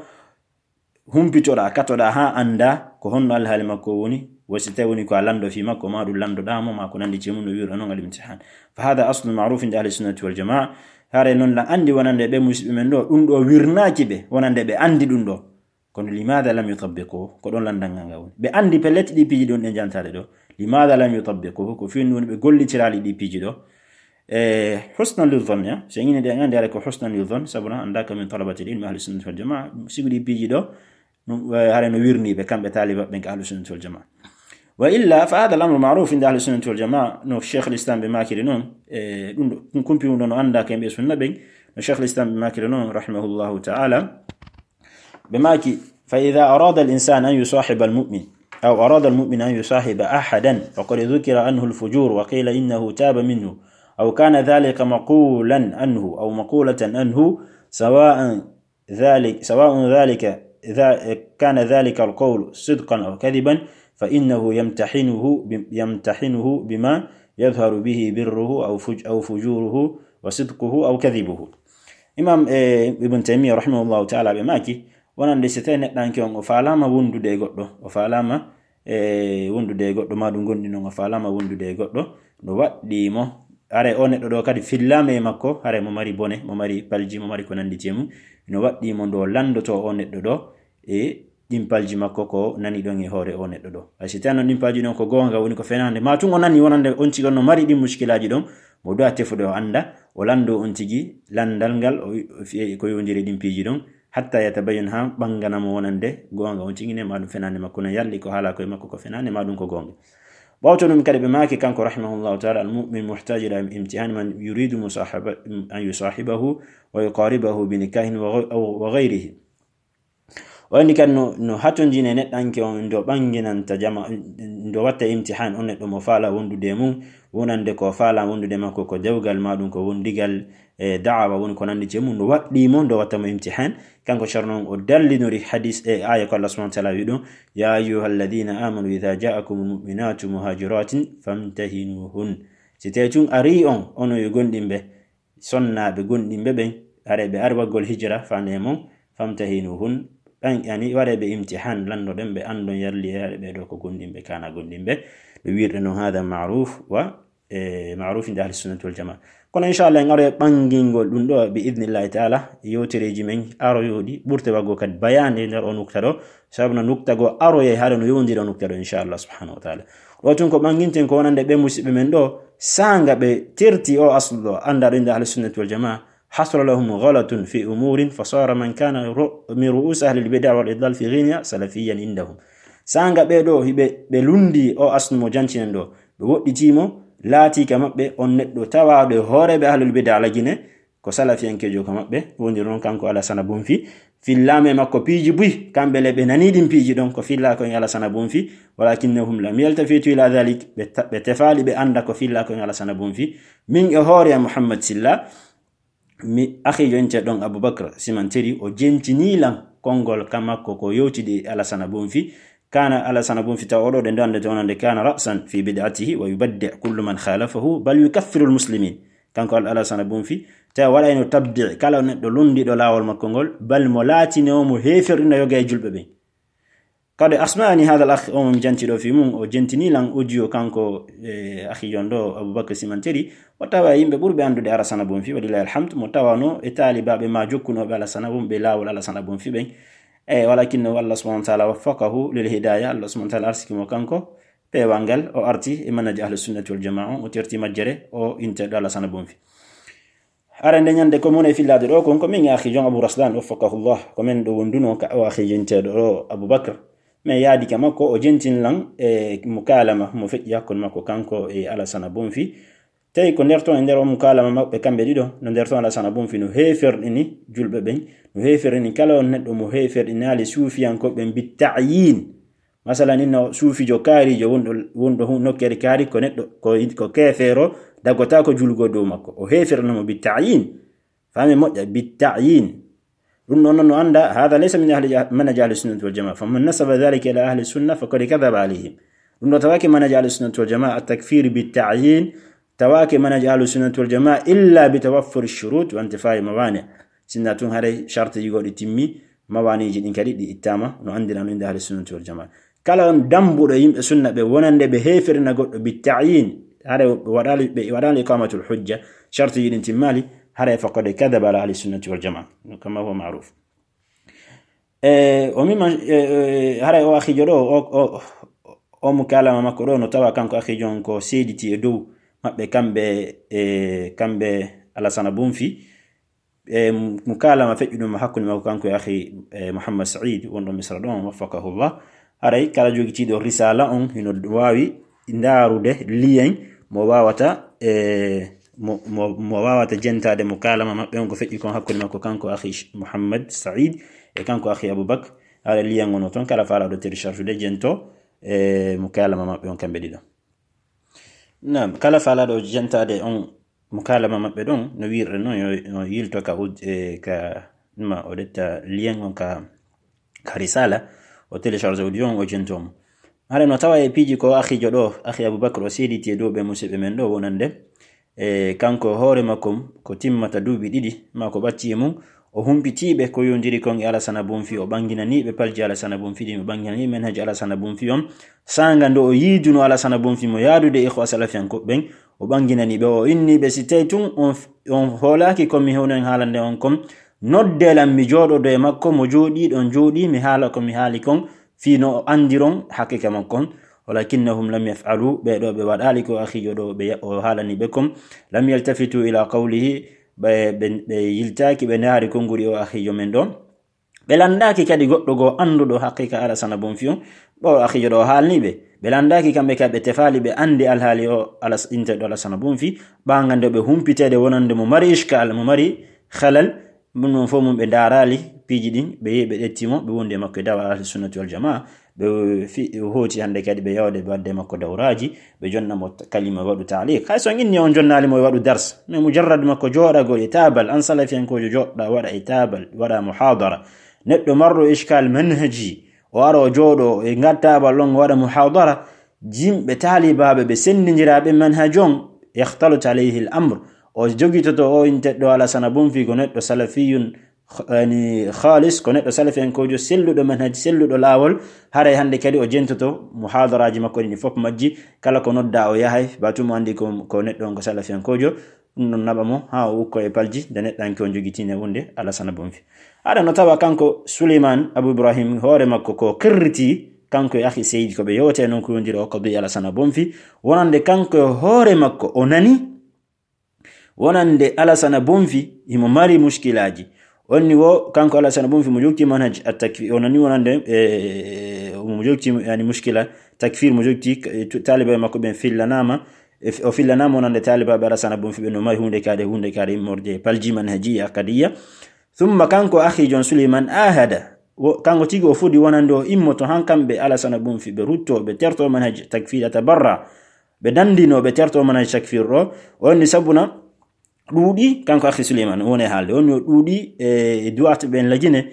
humpitoɗa, katoɗa haa annda ko honno alhaali makko woni, wa si tawi woni ko a lanndo fii makko, maa ɗum lanndoɗaa mo, maa ko nanndi e mum no wi'uɗaa non al imtihan. Fa hada aslu ma'ruf inda ahli sunnati wal jamaa. Hare non la anndi wonande ɓe musiɓɓe men ɗo, ɗum ɗo wirnaaki ɓe, wonande ɓe anndi ɗum ɗo. Kono limaada lam yutabbiqu? Ko ɗon lanndal ngal ngal woni. Ɓe anndi pellet ɗi piiji ɗon ɗe jantaade ɗo. Limaada lam yutabbiqu? Ko fii woni ɓe gollitiraali ɗi piiji ɗo. E, husnan lil dhann, ya. So en ini ɗe, en anndi hare ko husnan lil dhann, sabu na anndaka min talabati ilmi ahli sunnati wal jamaa. Sibu ɗi piiji ɗo, ɗum, e, hare no wirni ɓe kamɓe taaliba ɓen ka ahli sunnati wal jamaa. Wa illa fa hada al amru ma'ruf inda ahli sunnati wal jamaa. No Cheikh al Islam ɓe maakiri non, e, ɗum ɗo, ɗum kumpi ɗum ɗo no annda ka yimɓe sunna ɓen. No Cheikh al Islam ɓe maakiri non, rahimahullahu ta'ala. Ɓe maaki, fa idha arada al insan an yusahiba al mu'min, aw arada al mu'min an yusahiba ahadan, faqad dhukira anhu al fujur wa qila innahu taba minhu, aw kana dhalika maqulan anhu, aw maqulatan anhu, sawa'an dhalik, sawa'un dhalika, dha-, kana dhalika al qawlu sidqan aw kadhiban, fa innahu yamtahinuhu bi-, yamtahinuhu bima yadhharu bihi birruhu aw fuj-, aw fujuruhu wa sidquhu aw kadhibuhu. Imam, e, Ibn Taymiyyah rahimahullahu ta'ala ɓe maaki, wonande si tawi neɗɗanke on o faalaama wondude e goɗɗo, o faalaama, e, wondude e goɗɗo, maa ɗum gonɗi non o faalaama wondude e goɗɗo, no waɗɗii mo, hare o neɗɗo ɗo kadi fillaama e makko, hare mo mari bone, mo mari palji, mo mari ko nanndi e mum, no waɗɗii mo ndo lanndotoo o neɗɗo ɗo, e ɗimpalji makko ko nani ɗon e hoore o neɗɗo ɗo. Hay si tawi non ɗimpalji ɗon ko goonga woni ko fenaande, maa tun o nani wonande on tigi on no mari ɗin muskilaaji ɗon, mo du'a tefude o annda, o lanndo on tigi lanndal ngal, o, o fi-, ko yowndiri ɗin piiji ɗon, hatta yatabayyana, haa ɓangana mo wonande goonga on tigi ne, maa ɗum fenaande makko ne yalli ko haala koye makko ko fenaande, maa ɗum ko goonga. Ɓawto ɗum kadi ɓe maaki kanko rahimahullahu ta'ala, al mu'min muhtaj ila imtihan man yuridu musahaba-, an yusahibahu wa yuqaribahu bi nikahin wa ghay-, wa ghayrihi. O anndi kadi no, no hatonjine neɗɗanke on, ndo ɓanginanta jama, ndo watta imtihan on neɗɗo mo faala wondude e mum, wonande ko faala wondude makko ko dewgal, maa ɗum ko wondigal, e da'awa woni ko nanndi e mum, no waɗɗii mo, ndo watta mo imtihan. Kanko Cerno on o dallinori hadis e aaya ko Allah subhanahu wa ta'ala wi ɗum, ya ayyuha alladhina amanu idha ja'akum al mu'minatu muhajiratin famtahinuhun. Si tawi tun arii on, onon yo gomɗimɓe, sonnaaɓe gomɗimɓe ɓen, hare ɓe ari waggol hijra faande e mon, famtahinuhun, ɓen, yani, waɗee ɓe imtihan, lanndoɗen ɓe, anndon yalli e hare ɓee ɗoo ko gomɗimɓe, kana gomɗimɓe. Ɓe wirɗe non, hada ma'ruf wa, e, ma'ruf inda ahli sunnati wal jamaa. Kono inchallah en aroya ɓanngingol ɗum ɗoo bi idnillahi ta'ala, yewtereeji men aroyooɗi, ɓurte waggol kadi bayaande nder o nukta ɗoo, sabu no nukta goo aroyay hare no yowndiri o nukta ɗoo, inchallah subhanahu wa ta'ala. Ɗoo tun ko ɓannginten ko wonande ɓee musiɓɓe men ɗoo, saanga ɓe terti o aslu ɗoo, anndaa ɗo innde ahli sunnati wal jamaa, hasala lahum ghalatun fi umurin, fa sara man kana ru-, min ru'us ahli al bid'a wal idlal fi ghina salafiyyan indahum. Saanga ɓee ɗoo, hiɓe, ɓe lunndi o aslu mo jancinen ɗoo, ɓe woɗɗitii mo, laatii ka maɓɓe on neɗɗo tawaaɗo e hooreeɓe ahlul bid'a la Gine, ko salafiyankeejo ka maɓɓe, woni ɗon kanko Alasana Bonfi, fillaama e makko piiji buy, kamɓe le ɓe nanii ɗin piiji ɗon, ko fillaa ko e Alasana Bonfi, walakinnahum lam yaltafitu ila dhalik, ɓe ta-, ɓe tefaali ɓe annda ko fillaa ko e Alasana Bonfi. Min e hoore am Muhammad Silla, mi akhijo inte ɗon Abubakar Simanteri, o jentinii lan konngol ka makko ko yewtidi e Alasana Bonfi. Kana Alasana Bonfi, tawa oɗo ɗe ndande to wonande, kana ra'san fi bid'atihi wa yubaddi' kullu man khalafahu bal yukaffiru al-muslimin. Kanko Al-, Alasana Bonfi, tawa waɗayno tabdi' kala neɗɗo lundiɗo laawol makko ngol, bal mo laatinoo mo heeferɗina yoga e julɓe ɓen. Kadi asma'ani hadha al-akh, o mo mi janti ɗo fi mum, o jentinii lan audio kanko, e, akhijo on ɗo Abubakar Simanteri, o tawa e yimɓe ɓurɓe anndude Alasana Bonfi, walillahi alhamd, mo tawano e taalibaaɓe ma jokkunooɓe Alasana Bonfi, laawol Alasana Bonfi ɓen. E, walakinnahu, Allah subhanahu wa ta'ala waffaqahu lil hidaya, Allah subhanahu wa ta'ala arsiki mo kanko peewal ngal, o arti e manhaji ahli sunnati wal jamaa, o terti majjere, o inteɗo Alasana Bonfi. Hara nde ñande ko mon e fillaade ɗo, kon ko min e akhijo on Abu Raslan, waffaqahullah. Ko men ɗo wonduno ka o akhijo inteɗo ɗo Abubakar. Men yaadi ka makko, o jentin lan e mukalama mo feƴƴi hakkunde makko kanko e Alasana Bonfi. Tawi ko nder ton, e nder o mukalama maɓɓe kamɓe ɗiɗo, no nder ton Alasana Bonfi no heeferɗini julɓe ɓen, no heeferɗini kala on neɗɗo mo heeferɗinaali suufiyankooɓe ɓen bi ta'yin. Masalan, inno suufijo kaarijo wonɗo, wonɗo hu-, nokkeere kaari, ko neɗɗo, ko, ko keefeero, daggotaako julgo dow makko. O heeferno mo bi ta'yin. Faami moƴƴa, bi ta'yin. Ɗum ɗon no annda, hada laysa min ahli jah-, manhaj ahli sunnati wal jamaa. Faman nasaba dhalika ila ahli sunna faqad kadhaba alayhim. Ɗum ɗo tawaaki manhaj ahli sunnati wal jamaa, at-takfir bi ta'yin, tawaaki manhaj ahli sunnati wal jamaa illa bi tawaffur ash-shurut wa intifa'i mawani'. Sinna tun haray shartiji goɗɗi timmi, mawaniiji ɗin kadi ɗi ittaama, no anndira no innde ahli sunnati wal jamaa. Kala on dambuɗo yimɓe sunna ɓe wonande ɓe heeferina goɗɗo bi ta'yin, haray ɓe waɗaali, ɓe waɗaali iqamatul hujja, shartiji ɗin timmaali, haray faqad kadhaba ala ahli sunnati wal jamaa, kama huwa ma'ruf. E, o mimma, e, e, haray o akhijo ɗo, o, o, o mukalama makko ɗo, no tawa kanko akhijo on ko seediti e dow maɓɓe kamɓe, e, kamɓe Alasana Bonfi. E, mukalama feƴƴuɗum hakkunde makko kanko e akhi, e, Muhammad Said, wonɗo Misra ɗon, waffaqahullah. Haray kala jogitiiɗo risala on hino waawi ndaarude lien mo waawata, e, mo, mo, mo waawata jentaade mukalama maɓɓe on ko feƴƴi kon hakkunde makko kanko akhi Sh-, Muhammad Said e kanko akhi Abubakar. Haray lien on o ton, kala faalaaɗo télécharge de jento, e, mukalama maɓɓe on kamɓe ɗiɗo. Naam, kala faalaaɗo jentaade on mukalama maɓɓe ɗon, no wiirɗe non, yo, yo yilto ka ud-, e, ka, ma o ɗetta lien on ka, ka risala, o télécharge audio on, o jento mo. Hara no tawa e piiji ko akhijo ɗo, akhi Abubakar o seediti e dow ɓe musiɓɓe men ɗo wonande, e, kanko hoore makko ko timmata duuɓi ɗiɗi, ma ko ɓatti e mum, o humpitiiɓe ko yondiri kon e Alasana Bonfi, o ɓanginaniiɓe palji Alasana Bonfi ɗin, o ɓanginaniiɓe manhaji Alasana Bonfi on. Saanga ndo o yiiduno Alasana Bonfi mo yaadude ikhwa salafiyankoɓe ɓen, o ɓanginani ɓe, o inni ɓe, si tawi tun on, on hoolaaki ko mi hewnen haalande on kon, nodde lan mi jooɗodo e makko, mo jooɗi ɗon jooɗi, mi haala ko mi haali kon, fii no o andiron haqiqa makko on. Walakinnahum lam yaf'alu, ɓe ɗo ɓe waɗaali ko akhijo ɗo ɓe, o haalani ɓe kon. Lam yaltafitu ila qawlihi, ɓe, ɓe, ɓe yiltaaki, ɓe ndaari konnguri o akhijo men ɗo. Ɓe landaaki kadi goɗɗo goo annduɗo haqiqa Alasana Bonfi on, ɓawo akhijo ɗo haalni ɓe. Ɓe landaaki kamɓe ka ɓe tefaali ɓe andi alhaali o Alas-, inteɗo Alasana Bonfi, ɓaŋande ɓe humpiteede wonande mo mari ishkal, mo mari halal, ɗum ɗon fof mum ɓe ndaaraali piiji ɗin, ɓe yehi ɓe ƴetti mo, ɓe wondi e makko e da'wa Ahli Sunnati wal Jamaa, ɓe fi-, hooti hannde kadi ɓe yawde ɓe wadde makko dawraaji, ɓe jonna mo kalima waɗu taaliq. Hay so on inni on jonnaali mo e waɗu dars, mais mujarrad makko jooɗagol e taabal, an salafiyankoojo jooɗɗa waɗa e taabal, waɗa muhaadara. Neɗɗo marɗo ishkal manhaji, o ara o jooɗo e ngal taabal ɗon o waɗa muhaadara, yimɓe taalibaaɓe ɓe senndindiraaɓe manhaj on, yakhtalut alayhi al amr. O jogitoto o inteɗɗo Alasana Bonfi ko neɗɗo salafiyun, yani, khalis, ko neɗɗo salafiyankoojo selluɗo manhaj, selluɗo laawol. Haray hannde kadi o jentoto muhaadaraaji makko ɗin fof majji, kala ko nodda o yahay, ba tuma anndi ko, ko neɗɗo on ko salafiyankoojo. Ɗum ɗon naɓa mo haa o ukko e palji nde neɗɗanke on jogitine wonde Alasana Bonfi. Aɗa no tawa kanko Suleyman Abu Ibrahim hoore makko ko qirriti kanko e akhi Seydi ko ɓe yewte noon ko yondiri o qadiya Alasana Bonfi, wonande kanko e hoore makko o nani wonande Alasana Bonfi himo mari mushkilaaji. Onni wo kanko Alasana Bonfi mo jogti manhaj at-takfir, o nani wonande, e, mo jogti, yani, mushkila takfir, mo jogti, e, tu-, taalibe makko ɓen fillanaama, e, o fillanaama wonande taalibaaɓe Alasana Bonfi ɓe no mari huunde kaade, huunde kaade immorde e palji manhajiya qadiya. Thumma kanko akhi John Suleiman ahada, wo-, kanko tigi o fodi wonande o immoto han kamɓe Alasana Bonfi ɓe rutto, ɓe terto manhaj takfir, yatabarra, ɓe dandino, ɓe terto manhaj takfir ɗo. O inni sabuna ɗuuɗi, kanko akhi Suleiman, woni e haalde. Woni o ɗuuɗi e, e duwaaɓe ɓen Lagine,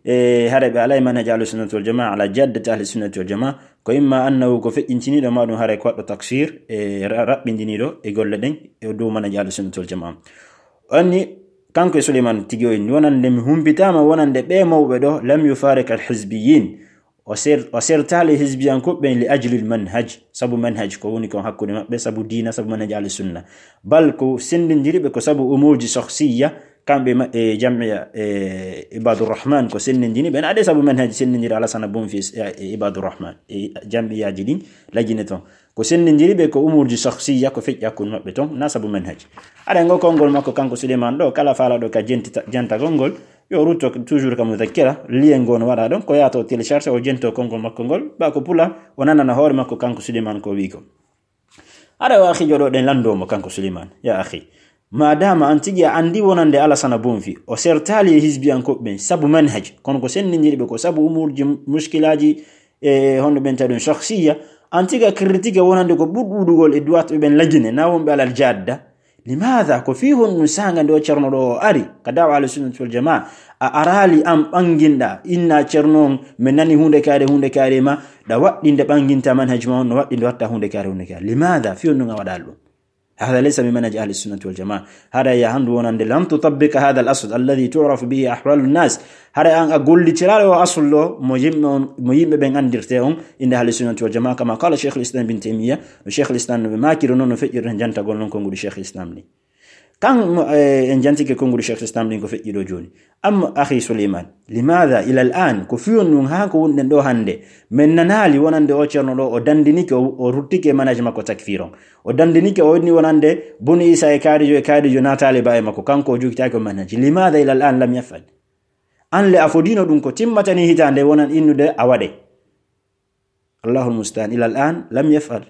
e hare ɓe alaa e manhaji ahli sunnati wal jamaa, ala jaddati ahli sunnati wal jamaa. Ko imma annahu ko feƴƴintiniiɗo, ma ɗum hare ko waɗɗo taksir, e ra-, raɓɓindiniiɗo e golle ɗen e dow manhaji ahli sunnati wal jamaa. Anni, kanko e Suleiman tigi o inni, wonande mi humpitaama, wonande ɓe mawɓe ɗo, lam yufariq al hizbiyin. O ser-, o sertaali hizbiyankooɓe ɓen li ajli al manhaj, sabu manhaj ko woni kon hakkunde maɓɓe, sabu diina, sabu manhaj ahli sunna. Bal ko senndindiri ɓe ko sabu umuuji shakhsiyya, kamɓe ma-, e jam'iya, e Ibadur Rahman ko senndindini ɓen, ade sabu manhaj senndindiri Alasana Bonfi e, e Ibadur Rahman, e jam'iyaaji ɗin Lagine ton. Ko senndindiri ɓe ko umuuji shakhsiyya ko feƴƴi hakkunde maɓɓe ton, na sabu manhaj. Aɗa ngo konngol makko kanko Suleiman ɗo, kala faalaɗo ka jenti-, jantagol ngol, yo rutto toujours ka muzakkira, lien ngo no waɗa ɗon, ko yaato télécharge, o jento konngol makko ngol, ba ko pula, o nanana hoore makko kanko Suleiman ko wi'i ko. Aɗa wa akhi joɗo ɗen lanndo mo kanko Suleiman, ya akhi. Ma dama an tigi a anndi wonande Alasana Bonfi, o sertaali e hizbiyankooɓe ɓen sabu manhaj, kono ko senndindiri ɓe ko sabu umuuji mushkilaaji e honno ɓen tawi ɗum shakhsiyya, an tigi a critique wonande ko ɓuri ɗuuɗugol e duwaaɓe ɓen Lagine, na wonɓe alal jadda. Limaada? Ko fii honɗum saanga nde o ceerno ɗo o ari ka da'wa ahli sunnati wal jamaa, a araali an ɓanginɗa, inna ceerno on, mi nani huunde kaari, huunde kaari ma, ɗa waɗɗinde ɓanginta manhaj ma on, no waɗɗinde watta huunde kaari, huunde kaari. Limaada? Fii honɗum a waɗaali ɗum? هذا ليس من منهج أهل السنة والجماعة. Hara ya handu wonande لم تطبق هذا الأصل الذي تعرف به أحوال الناس. Hara an a gollitiraali o asul ɗo mo yimɓe on, mo yimɓe ɓen anndirte on innde أهل السنة والجماعة, كما قال شيخ الإسلام ابن تيمية, no Cheikhul Islam no ɓe maakiri non, no feƴƴirta jantagol non konguɗi Cheikhul Islam ɗin. Kan mo, eh, en jantike konguɗi Cheikhul Islam ɗin ko feƴƴi ɗo jooni. Amma akhi Suleiman, limaada ila al-an, ko fii honɗum haa ko wonɗen ɗo hannde, men nanaali wonande o ceerno ɗo, o dandinike, o, o ruttike manhaj makko takfir on. O dandinike, o inni wonande Buni Isa e kaarijo, e kaarijo na taaliba e makko, kanko o jogitaake o manhaj. Limaada ila al-an lam yaf'al? An le a fodino ɗum ko timmatani hitaande wonan innude a waɗe. Allahul musta'an, ila al-an lam yaf'al.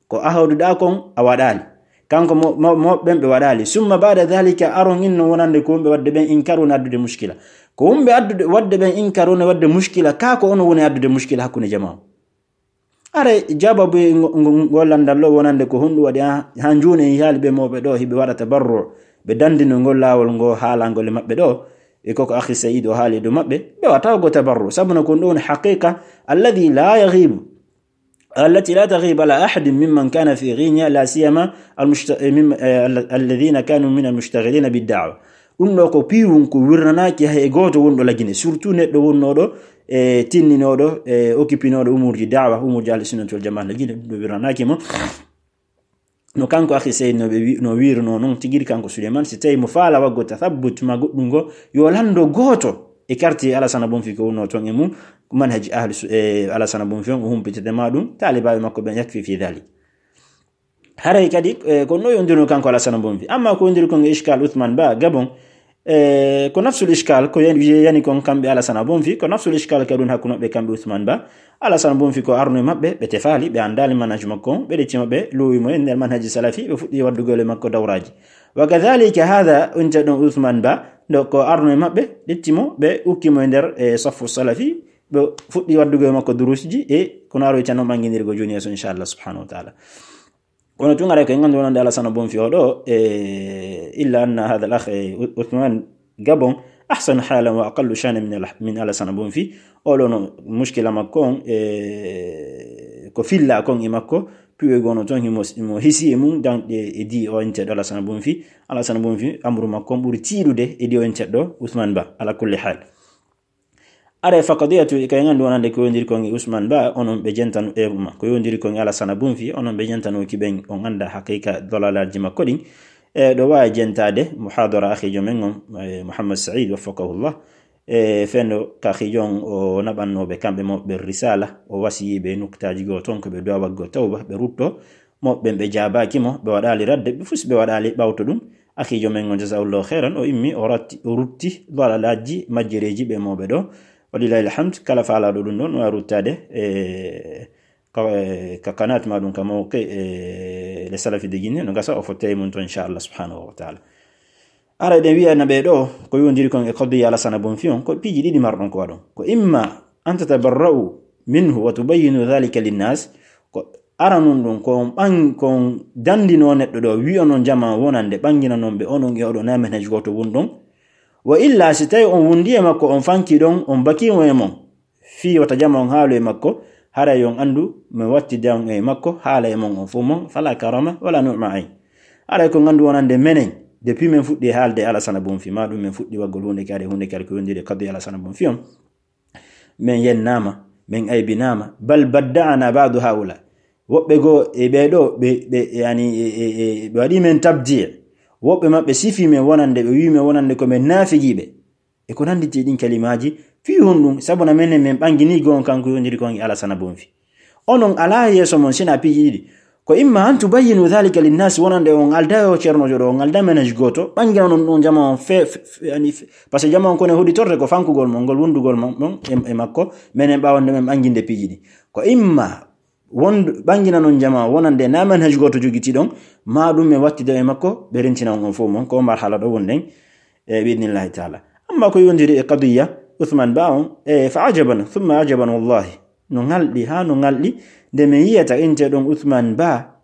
Ko ahduɗa kon a waɗaali. Kanko mo, mo, mo ɓen ɓe waɗaali. Summa ba'da dhalika, aron inno wonande ko wumɓe waɗde ɓen inkar woni addude mushkila. Ko wumɓe addude, waɗde ɓen inkar woni waɗde mushkila. Ka ko ono woni addude mushkila hakkunde jamaa on. Are jababu ngo, ngo, ngo landal lo wonande ko honɗum waɗi ha, ha jooni en yaali ɓe mawɓe ɗo hiɓe waɗa tabarru. Ɓe dandino ngol laawol ngo haalangol e maɓɓe ɗo. E koko akhi Saïd o haali dow maɓɓe, ɓe wata go tabarru. Sabu no ko ɗum woni haqiqa alladhi la yaghibu, allati la taghibu ala ahadin mimman kana fi Ghinya, la siyama al-mushta-, eh, mim-, eh, al-, alladhina kanu min al-mushtaghilina bid-da'wa. Ɗum ɗo ko piiwun ko wirnanaaki hay e gooto wonɗo Lagine, surtout neɗɗo wonnooɗo, e tinninooɗo, e occupinooɗo umuurji da'wa, umuurji ahli sunnati wal jamaa Lagine, ɗum ɗo wirnanaaki mo. No kanko akhi Saïd no ɓe wi-, no wiirunoo non, tigi ri kanko Suleiman, si tawi mo faala waggo tathabbut ma goɗɗum ngo, yo lanndo gooto e quartier Alasana Bonfi ko wonnoo ton e mum, manhaji ahli su-, e Alasana Bonfi on, o humpitete ma ɗum, taalibaaɓe makko ɓen yakfi fi dhalik. Haray kadi, eh, ko no yondirno kanko Alasana Bonfi. Amma ko yondiri kon e Ishkal Uthman Ba, Gabon, E, ko nafsul ishkal, ko yani, yani kon kamɓe Alasana Bonfi, ko nafsul ishkal ka ɗum hakkunde maɓɓe kamɓe Usman Ba. Alasana Bonfi ko arno e maɓɓe, ɓe tefaali, ɓe anndaali manhaj makko on, ɓe ɗecci maɓɓe, lowi mo e nder manhaji salafi, ɓe fuɗɗi waddugol e makko dawraji. Wa kadhalika hada, on ca ɗon Usman Ba, ɗo ko arno e maɓɓe, ɗecci mo, ɓe ukki mo e nder, e, saffu salafi, ɓe fuɗɗi waddugol e makko durusji, e kono aroyta noon ɓanngindirgo jooni yeeso, inchallah subhanahu wa taala. Kono tun aray ko en anndu wonande Alasana Bonfi o ɗo, e, illa anna hada al akh, e, U-, Uthman Gabon, ahsanu halan wa aqallu shana min al-, min Alasana Bonfi. O ɗo no mushkila makko on, e, ko filla kon e makko, piwe gono ton, himo, himo hisi e mum, dan, e, e di o inte ɗo Alasana Bonfi. Alasana Bonfi, amru makko on ɓuri tiiɗude e di o inte ɗo, Uthman Ba, ala kulli hal. Are fa qadiyatu, ka en anndu wonande ko yondiri kon e Usman Ba, onon ɓe jentano e ma. Ko yondiri kon e Alasana Bonfi, onon ɓe jentano ki ɓen, on annda haqiqa dalalaaji makko ɗin. E, ɗo waawi jentaade muhadara akhijo men on, e, Muhammad Said, waffaqahullah. E, fendo ka akhijo on o naɓannooɓe kamɓe mo ɓe risala, o wasiyiɓe nuktaaji goo ton ko ɓe du'a waggo tawba, ɓe rutto. Mo ɓen ɓe jaabaaki mo, ɓe waɗaali radde, ɓe fus ɓe waɗaali ɓawto ɗum. Akhijo men on, jazahullahu khairan, o immi, o ratti, o rutti dalalaaji majjereeji ɓe mawɓe ɗo. Walillahi alhamd, kala faalaaɗo ɗum ɗon, no waawi ruttaade, e, ka, e, ka kanaat ma ɗum ka mawqi, e, le salafi de Guinée, no gasa o fotte e mum to, inchallah subhanahu wa taala. Ara eɗen wiyana ɓe ɗo, ko yondiri kon e qadiya Alasana Bonfi on, ko piiji ɗiɗi marɗon ko waɗon. Ko imma an tatabarra'u minhu wa tubayyinu dhalika linnas, ko aranun ɗum, ko on ɓan-, ko on dandinoo neɗɗo ɗo, wi'onon jamaa wonande ɓannginanon ɓe onon e oɗo na manhaj gooto wonɗon. Wa illa, si tawi on wondi e makko, on fanki ɗon, on bakii mo e mon, fii wata jamaa on haalu e makko, haray on anndu mi wattida on e makko, haala e mon on fof mon, fala karama wala nu'ma ayn. Haray ko nganndu wonande menen, depuis men fuɗɗi haalde Alasana Bonfi, ma ɗum men fuɗɗi waggol huunde kadi, huunde kadi ko yondiri e kadi Alasana Bonfi on. Men yennaama, men aybinaama, bal badda'ana ba'du haula. Woɓɓe goo e ɓee ɗoo, ɓe, ɓe, yani, e, e, e, ɓe waɗi men tabdi'. Woɓɓe maɓɓe sifi men wonande, ɓe wi men wonande ko men naafiqiiɓe. E ko nannditi ɗin kalimaaji, fii honɗum? Sabu na menen men ɓanngini goo on kanko yondiri kon e Alasana Bonfi. Onon alaa yeeso mon sina piiji ɗiɗi. Ko imma an tubayyinu dhalika linnas, wonande on aldaa yo ceernoojo ɗo, on aldaa manhaj gooto, ɓannginanon ɗum jamaa on fe-, fe-, fe-, yani fe-, par ce que jamaa on kono e hoɗitorde ko fankugol mon, ngol wondugol mon, mon e, e makko, menen ɓaawande men ɓannginde piiji ɗi. Ko imma wondu-, ɓannginanon jamaa wonande na manhaj gooto jogitiɗon, ma ɗum men wattida e makko, ɓe rentina on fof mon, ko marhala ɗo wonɗen, e bi idnillahi taala. Amma ko yondiri e qadiya Uthman Ba on, e fa ajaban, thumma ajaban wallahi. No ŋalɗi, haa no ŋalɗi, nde mi yiyata inteɗon Uthman Ba,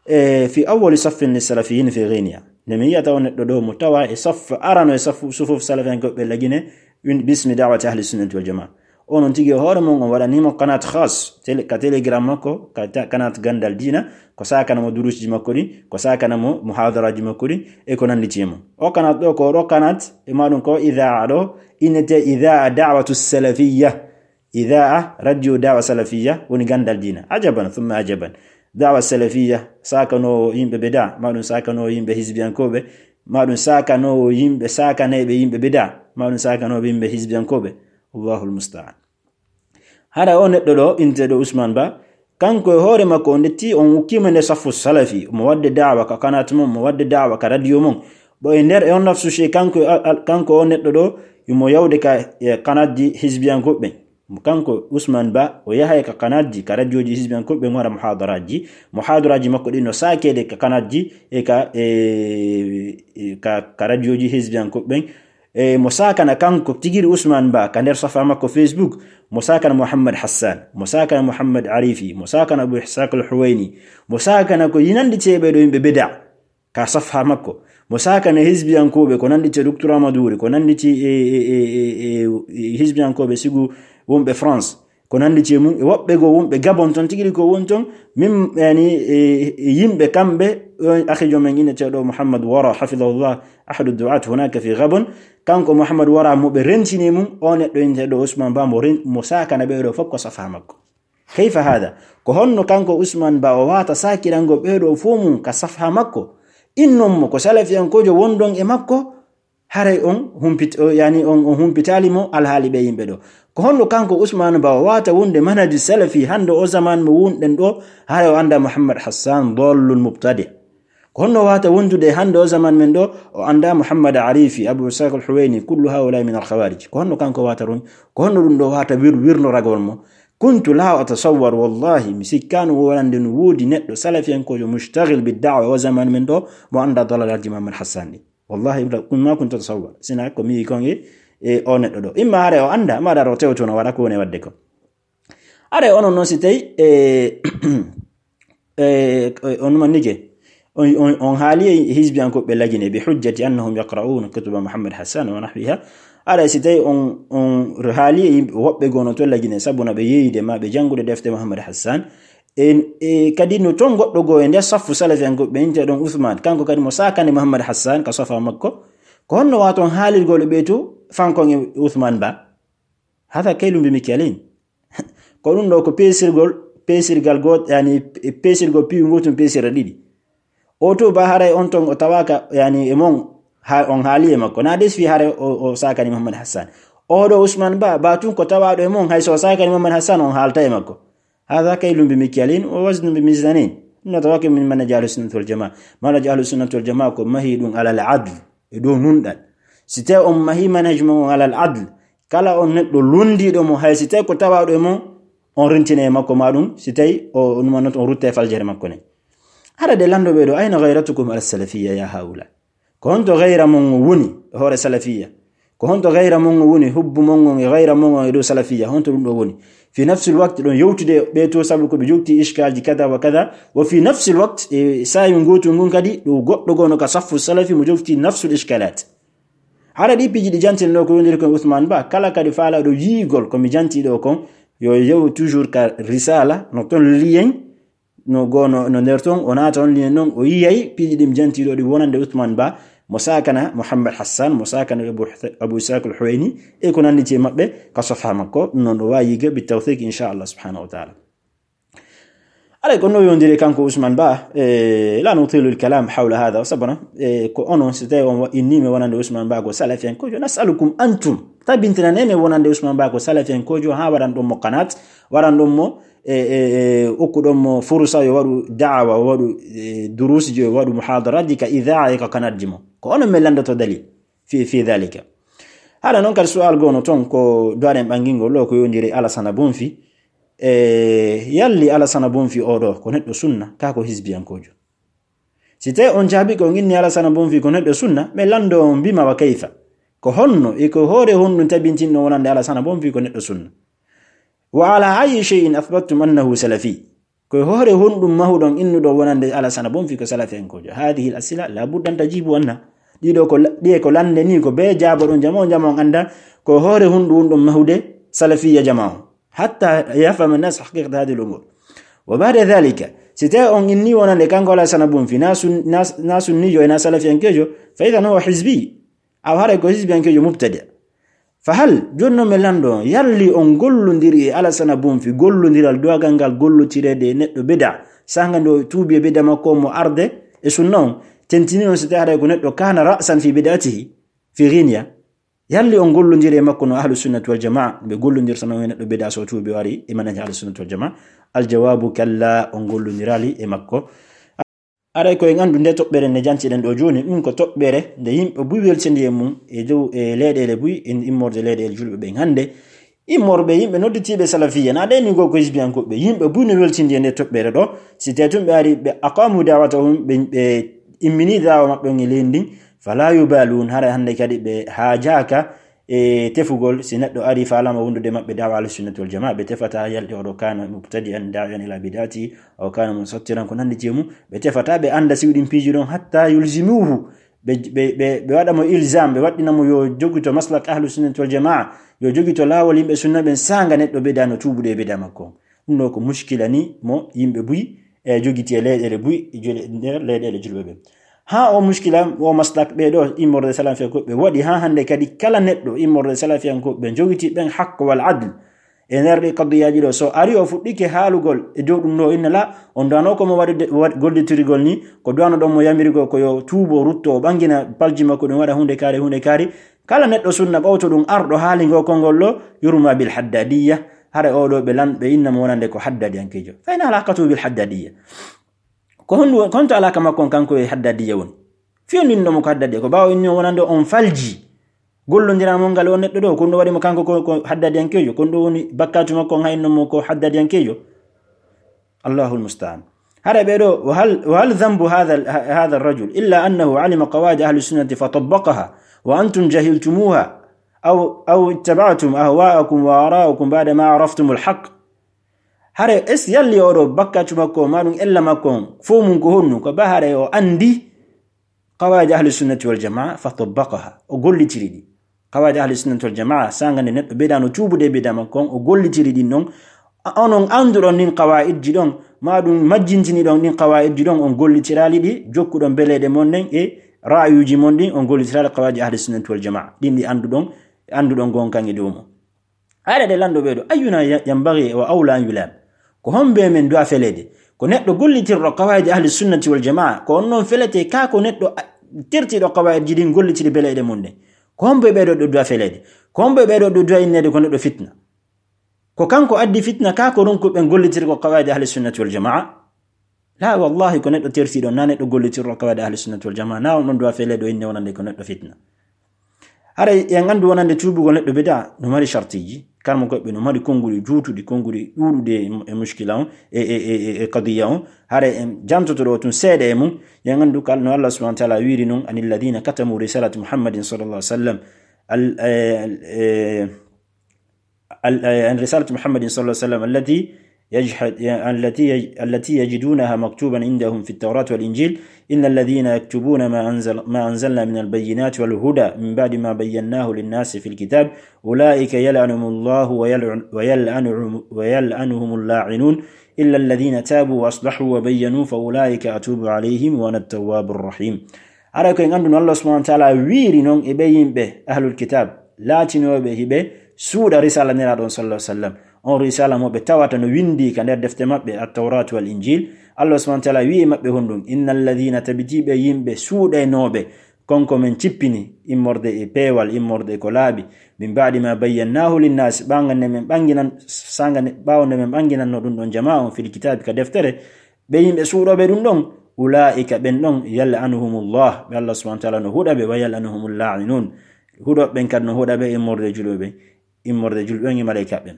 e fi awwali saffin li salafiyin fi Ghenia. Nde mi yiyata on neɗɗo ɗo mo tawa e saffu arano e saffu, sufuf salafiyankoɓe Lagine, win-, bismi da'wati ahli sunnati wal jamaa. Onon tigi e hoore mon, on waɗanimo qanat khas, tele-, ka Telegram makko, ka ta-, qanat Gandal Diina, ko saakana mo durusji makko ɗi, ko saakana mo muhadaraji makko ɗi, e ko nannditi e mum. O qanat ɗo, ko ɗo qanat, e maɗum ko idaa ɗo, innete idaa da'watu salafiyya. Idaa radio da'wa salafiyya, woni Gandal Diina. Ajaban, thumma ajaban. Da'wa salafiyya, saakanoowo yimɓe bida, maɗum saakanoowo yimɓe hizbiyankooɓe, maɗum saakanoowo yimɓe, saakanayɓe yimɓe bida, maɗum saakanooɓe yimɓe hizbiyankooɓe. Allahul musta'an. Hara o neɗɗo ɗo, inteɗo Usman Ba, kanko e hoore makko, on detti, on ukkima nder saffu salafi, mo wadde da'wa ka qanat mon, mo wadde da'wa ka radio mon. Bo e nder e on nafsu she, kanko, al-, al-, kanko o neɗɗo ɗo, mo yawde ka, e, qanatji hizbiyankooɓe. Kanko Usman Ba, o yahay ka qanatji, ka radioji hizbiyankooɓe, o waɗa muhadaraji. Muhadaraji makko ɗin no saakeede ka qanatji, e ka, e, e ka, ka radioji hizbiyankooɓe. E mo saakana kanko tigiri Usman Ba ka nder safa makko Facebook, mo saakana Muhammad Hassan, mo saakana Muhammad Arifi, mo saakana Abu Ishaq al-Huwaini, mo saakana ko yinandi ceeɓe ɗo yimɓe bida ka safa makko, mo saakana hizbiyankooɓe ko nandi ce Docteur Amadou Wuri, ko nandi ce, e, e, e, e, e, e hizbiyankooɓe sigu wonɓe France. Ko nandi ce mum, e woɓɓe goo wonɓe Gabon ton, tigi ko woni ton, min, yani, e, e yimɓe kamɓe, on akhijo men inneteeɗo Muhammad Wara, hafidahullah, ahadu du'at hunaka fi Gabon, kanko Muhammad Wara mo ɓe rentini mum, o neɗɗo inneteeɗo Usman Ba mo ren-, mo saakana ɓe ɗo fof ko safa makko. Kayfa hada? Ko honno kanko Usman Ba o wata saakirango ɓe ɗo fof mum ka safa makko? Innon mo ko salafiyankoojo wonɗon e makko, haray on humpit-, o, yani on, on humpitaali mo alhaali ɓe yimɓe ɗo. Ko honno kanko Usman Ba o wata wonde manhaju salafi hande o zaman mo wonɗen ɗo, haray o anda Muhammad Hassan dallun mubtadi. Ko honno wata wondude hande o zaman men ɗo, o anda Muhammad Arifi, Abu Ishaq al-Huwaini, kullu haula min al-khawarij. Ko honno kanko wata ron-, ko honno ɗum ɗo wata wir-, wirnoragol mo? Kuntu la atasawwar, wallahi, mi sikkaano wonande no woodi neɗɗo salafiyankoojo mushtaghil bid da'wa o zaman men ɗo, mo anda dalalalji Muhammad Hassan ɗi. Wallahi, la, kun-, ma kuntu atasawwar. Sina ko mi kon e, e o neɗɗo ɗo. Imma hare o anda, ma daro tewtono waɗa ko woni wadde ko. Are onon non si tawi, e, e, on manike, on, on, on haali e hizbiyankooɓe Lagine bi hujjati annahum yaqra'una kutuba Muhammad Hassan wa nahwiha. Are si tawi on, on haali e yimɓe woɓɓe gono to Lagine, sabu na ɓe yeeyde ma ɓe janngude defte Muhammad Hassan. E, e, kadi no ton goɗɗo goo e nder saffu salafiyankooɓe ɓe, inteɗon Uthman, kanko kadi mo saakani Muhammad Hassan ka safa makko. Ko honno waton haalirgol e ɓe to fankon e Uthman Ba? Hada kaylun bi mikyalin. Ko ɗum ɗo ko peesirgol, peesirgal goot, yani, peesirgol piiw ngootum peesira ɗiɗi. O to ba haray on ton o tawaka, yani, e mon, ha, on haali e makko. Na des fi haray o, o saakani Muhammad Hassan. O ɗo Usman Ba, ba tun ko tawaɗo e mon, hay so o saakani Muhammad Hassan, on haalta e makko. Hada kaylun bi mikyalin wa waznun bi mizanin. Ɗum no tawake min manhaji Ahlus Sunnati wal Jamaa. Manhaji Ahlus Sunnati wal Jamaa ko mahi ɗum alal adl, e dow nunɗal. Si tawi on mahi manhaj mon on alal adl, kala on neɗɗo londiiɗo mo, hay si tawi ko tawaaɗo e mo, on rentine e makko ma ɗum, si tawi o, o numannoto, on rutta e faljere makko nden. Hara de lanndooɓe ɗo, ayna ghayratukum ala salafiyya ya haula? Ko honto gayra mon woni e hoore salafiyya? Ko honto gayra mon on woni, hubbu mon on e gayra mon on e dow salafiyya, honto ɗum ɗo woni? Fi nafsil waqt ɗon yewtude ɓe to, sabu ko ɓe jogti ishkalji kada wa kada. Wa fi nafsil waqt, e saa'i ngootu ngun kadi, ɗo goɗɗo gono ka saffu salafi mo jogti nafsul ishkalat. Hara ɗi piiji ɗi jantino ko yondiri kon Usman Ba, kala kadi faalaɗo yiigol ko mi janti ɗo kon, yo yew toujours ka risala, no ton liyen, no gono, no nder ton, o naata on liyen non, o yiyay piiji ɗi mi janti ɗo ɗi wonande Usman Ba, mo sakana Muhammad Hassan, mo sakana Abu, Abu Ishaq al-Huwaini, e ko nandi e maɓɓe, ka safha makko, non ɗo waawi yiige bi tawfiq, insha Allah subhanahu wa ta'ala. Alay, ko no yondiri kanko Usman Ba, e, la nutilu al-kalam hawla hadha, sabana, e, ko onon, si tawi on wa-, inni mi wonande Usman Ba ko salafiyankojo, nas'alukum antum, tabintina nene wonande Usman Ba ko salafiyankojo, ha waran ɗon mo qanat, waran ɗon mo, e, e, e, okku ɗon mo furusa yo waɗu da'awa, o waɗu, e, durusji, o waɗu muhadaraji ka idaa e ka kanatji mo. Ko onon mi landoto dalil fi, fi dhalika. Haɗa non kadi su'al gono ton ko duwaɗen ɓangingol ɗo ko yondiri Alasana Bonfi. E, yalli Alasana Bonfi oɗo ko neɗɗo sunna, ka ko hizbiyankojo? Si tawi on jaabi ko on inni Alasana Bonfi ko neɗɗo sunna, mi lando on bima wa kayfa. Ko honno e ko hoore honɗum tabintinno wonande Alasana Bonfi ko neɗɗo sunna? Wa ala ayi shay'in athbattum annahu salafi? Ko e hoore honɗum mahuɗon innuɗo wonande Alasana Bonfi ko salafiyankojo? Hadhihi al-as'ila la budda an tajibu anha. Ɗiɗo ko la-, ɗiye ko lande ni ko be jaaboɗon jama on, jama on anda ko e hoore honɗum wonɗon mahude salafiyya jama on. Hatta yafhama an-nas haqiqata hadhihi al-umur. Wa ba'da dhalika, si tawi on inni wonande kanko Alasana Bonfi na sun-, na, na sunnijo e na salafiyankejo, fa idhan huwa hizbi. Aw haray ko hizbiyankejo mubtadi'. Fa hal, jooni non mi lando on, yalli on gollondiri e Alasana Bonfi, gollondiral dogal ngal gollotireede e neɗɗo bida, sanga nde o tuubi e bida makko mo arde e sunna on, tentini on si tawi haray ko neɗɗo kana ra'san fi bid'atihi, fi ghinya. Yalli on gollondiri e makko no Ahlus Sunnati wal Jamaa, ɓe gollondirta non e neɗɗo bida so tuubi o ari e manhaji Ahlus Sunnati wal Jamaa? Al jawabu kalla, on gollondiraali e makko. Aray ko en anndu nde toɓɓere nde jantiɗen ɗo jooni, ɗum ko toɓɓere nde yimɓe buy weltindi e mum e dow e leyɗeele buy, en immorde leyɗeele julɓe ɓen hannde. Immorɓe yimɓe nodditiiɓe salafiyya, na ɗen ni goo ko hizbiyankooɓe, yimɓe buy no weltindi e nde toɓɓere ɗo. Si tawi tun ɓe ari, ɓe aqamu da'watahum, ɓe, ɓe immini da'wa maɓɓe on e leydi ndin, fala yubalun, haray hannde kadi ɓe haajaaka e tefugol, si neɗɗo ari faalama wondude maɓɓe da'wa Ahli Sunnati wal Jamaa, ɓe tefata yalɗi oɗo kana mubtadi'an da'iyan ila bid'ati, aw kana musattiran, ko nandi e mum, ɓe tefata, ɓe anda si ɗin piiji ɗon, hatta yulzimuhu, ɓe, ɓe, ɓe, ɓe waɗa mo ilzam, ɓe waɗɗina mo yo jogito maslak Ahlu Sunnati wal Jamaa, yo jogito laawol yimɓe sunna ɓen, sanga neɗɗo bida no tuubude e bida makko. Ɗum ɗo ko muskila ni mo yimɓe buy e jogiti e leyɗeele buy, e jole-, nder leyɗeele julɓe ɓen. Ha o muskila, o maslak ɓe ɗo immorde salafiya ko ɓe waɗi ha hannde kadi kala neɗɗo immorde salafiyankooɓe ɓe jogiti ɓen haqq wal adl e nder ɗi qadiyaaji ɗo. So ari o fuɗɗike haalugol e dow ɗum ɗo, inna la, on duwano ko mo waɗude, waɗ-, gollitirgol ni, ko duwano ɗon mo yamirgol ko yo tuubo, rutto, o ɓangina palji makko ɗum waɗa hunde kaari, hunde kaari. Kala neɗɗo sunna ɓawto ɗum arɗo haali ngo konngol ɗo, yurma bil haddadiyya. Hara oɗo ɓe lan-, ɓe inna mo wonande ko haddadiyankejo. Fa in alaqatu bil haddadiyya. Ko honɗum, ko honto alaka makko on kanko e haddadiya woni? Fiyondindo mo ko haddadiya, ko ɓaawo inni on wonande on falji. Gollondira mo ngal on neɗɗo ɗo, ko ɗum ɗo waɗi mo kanko ko, ko haddadiyankejo, ko ɗum ɗo woni bakkatu makko on hayno mo ko haddadiyankejo. Allahul musta'an. Hara ɓe ɗo, wa hal, wa hal dhanbu hadha al-, ha-, hadha ar-rajul illa annahu alima qawaid ahli sunnati fa tabbaqaha wa antum jahiltumuha aw, aw ittaba'tum ahwa'akum wa ara'akum ba'da ma araftumul haqq. Hare es yalli oɗo bakkatu makko, ma ɗum ella makko on, fof mum ko honɗum? Ko ba hare o andi qawaid ahli sunnati wal jamaa, fa tabbaqaha, o gollitiri ɗi. Qawaid ahli sunnati wal jamaa, sanga nde neɗɗo bida no tuubude e bida makko on, o gollitiri ɗin ɗon. A-, onon anduɗon ɗin qawaidji ɗon, ma ɗum majjintini ɗon ɗin qawaidji ɗon, on gollitiraali ɗi, jokkuɗon beleɗe mon ɗen e ra'ayuji mon ɗin, on gollitiraali qawaid ahli sunnati wal jamaa. Ɗin ɗi anduɗon, anduɗon gonkan e dow mum. Aɗa ɗe lanndo ɓee ɗo, ayyuna ya-, yanbaghi wa awla an yulam? Ko hombo e men duwa feleede? Ko neɗɗo gollitirɗo qawaidi ahli sunnati wal jamaa, ko on noon felete kaa ko neɗɗo a-, tertiiɗo qawaidji ɗin gollitiri beleɗe mum ɗen. Ko hombo e ɓee ɗo ɗo duwa feleede? Ko hombo e ɓee ɗo ɗo duwa inneede ko neɗɗo fitna? Ko kanko addi fitna kaa ko ronkuɓe ɓen gollitiri ko qawaidi ahli sunnati wal jamaa? La, wallahi, ko neɗɗo tertiiɗo, na neɗɗo gollitirɗo qawaidi ahli sunnati wal jamaa, na on ɗon duwa feleede o inne wonande ko neɗɗo fitna. Haray en anndu wonande tuubugol neɗɗo bida no mari shartiiji, karmo koɓɓe no mari konnguɗi juutuɗi, konnguɗi ɗuuɗuɗi e, e mushkila on, e, e, e, e, e qadiya on. Haray en jantoto ɗo tun seeɗa e mum, en anndu kala no Allah subhanahu wa ta'ala wiiri non, anil ladina katamu risalati Muhammadin sallallahu alaihi wasallam. ال-، آه، آه، ال-، آه، عن رسالة محمد صلى الله عليه وسلم التي يجحد-، التي يج-، التي يجدونها مكتوبا عندهم في التوراة والإنجيل: إن الذين يكتبون ما أنزل-، ما أنزلنا من البينات والهدى من بعد ما بيناه للناس في الكتاب أولئك يلعنهم الله ويلعن-، ويلعنهم، ويلعنهم اللاعنون إلا الذين تابوا وأصلحوا وبينوا فأولئك أتوب عليهم وأنا التواب الرحيم. Haray ko en annduno Allah subhanahu wa ta'ala wiiri non e ɓe yimɓe ahlul kitab, laatinooɓe hiɓe suuɗa risala Nelaaɗo on sallallahu alaihi wasallam. On risala mo ɓe tawata no windi ka nder defte maɓɓe, At-Tawrat wal Injil. Allah subhanahu wa ta'ala wi'i maɓɓe honɗum: "Innal ladhina", tabiti ɓe yimɓe suuɗaynooɓe kon ko men cippini, immorde e peewal, immorde e ko laaɓi, "min ba'di ma bayyannahu linnas", ɓaŋga nde men ɓanginan, sanga nde, ɓaawo nde men ɓanginanno ɗum ɗon jamaa on fil kitabi ka deftere, ɓe yimɓe suuɗooɓe ɗum ɗon, "Ulaa'ika", ɓen ɗon, "yal'anuhumullah", ɓe Allah subhanahu wa ta'ala no huɗa ɓe, "wa yal'anuhumul laa'inun", huɗooɓe ɓen kadi no huɗa ɓe, immorde e julɓe ɓen, immorde e julɓe ɓen e maleyka ɓen.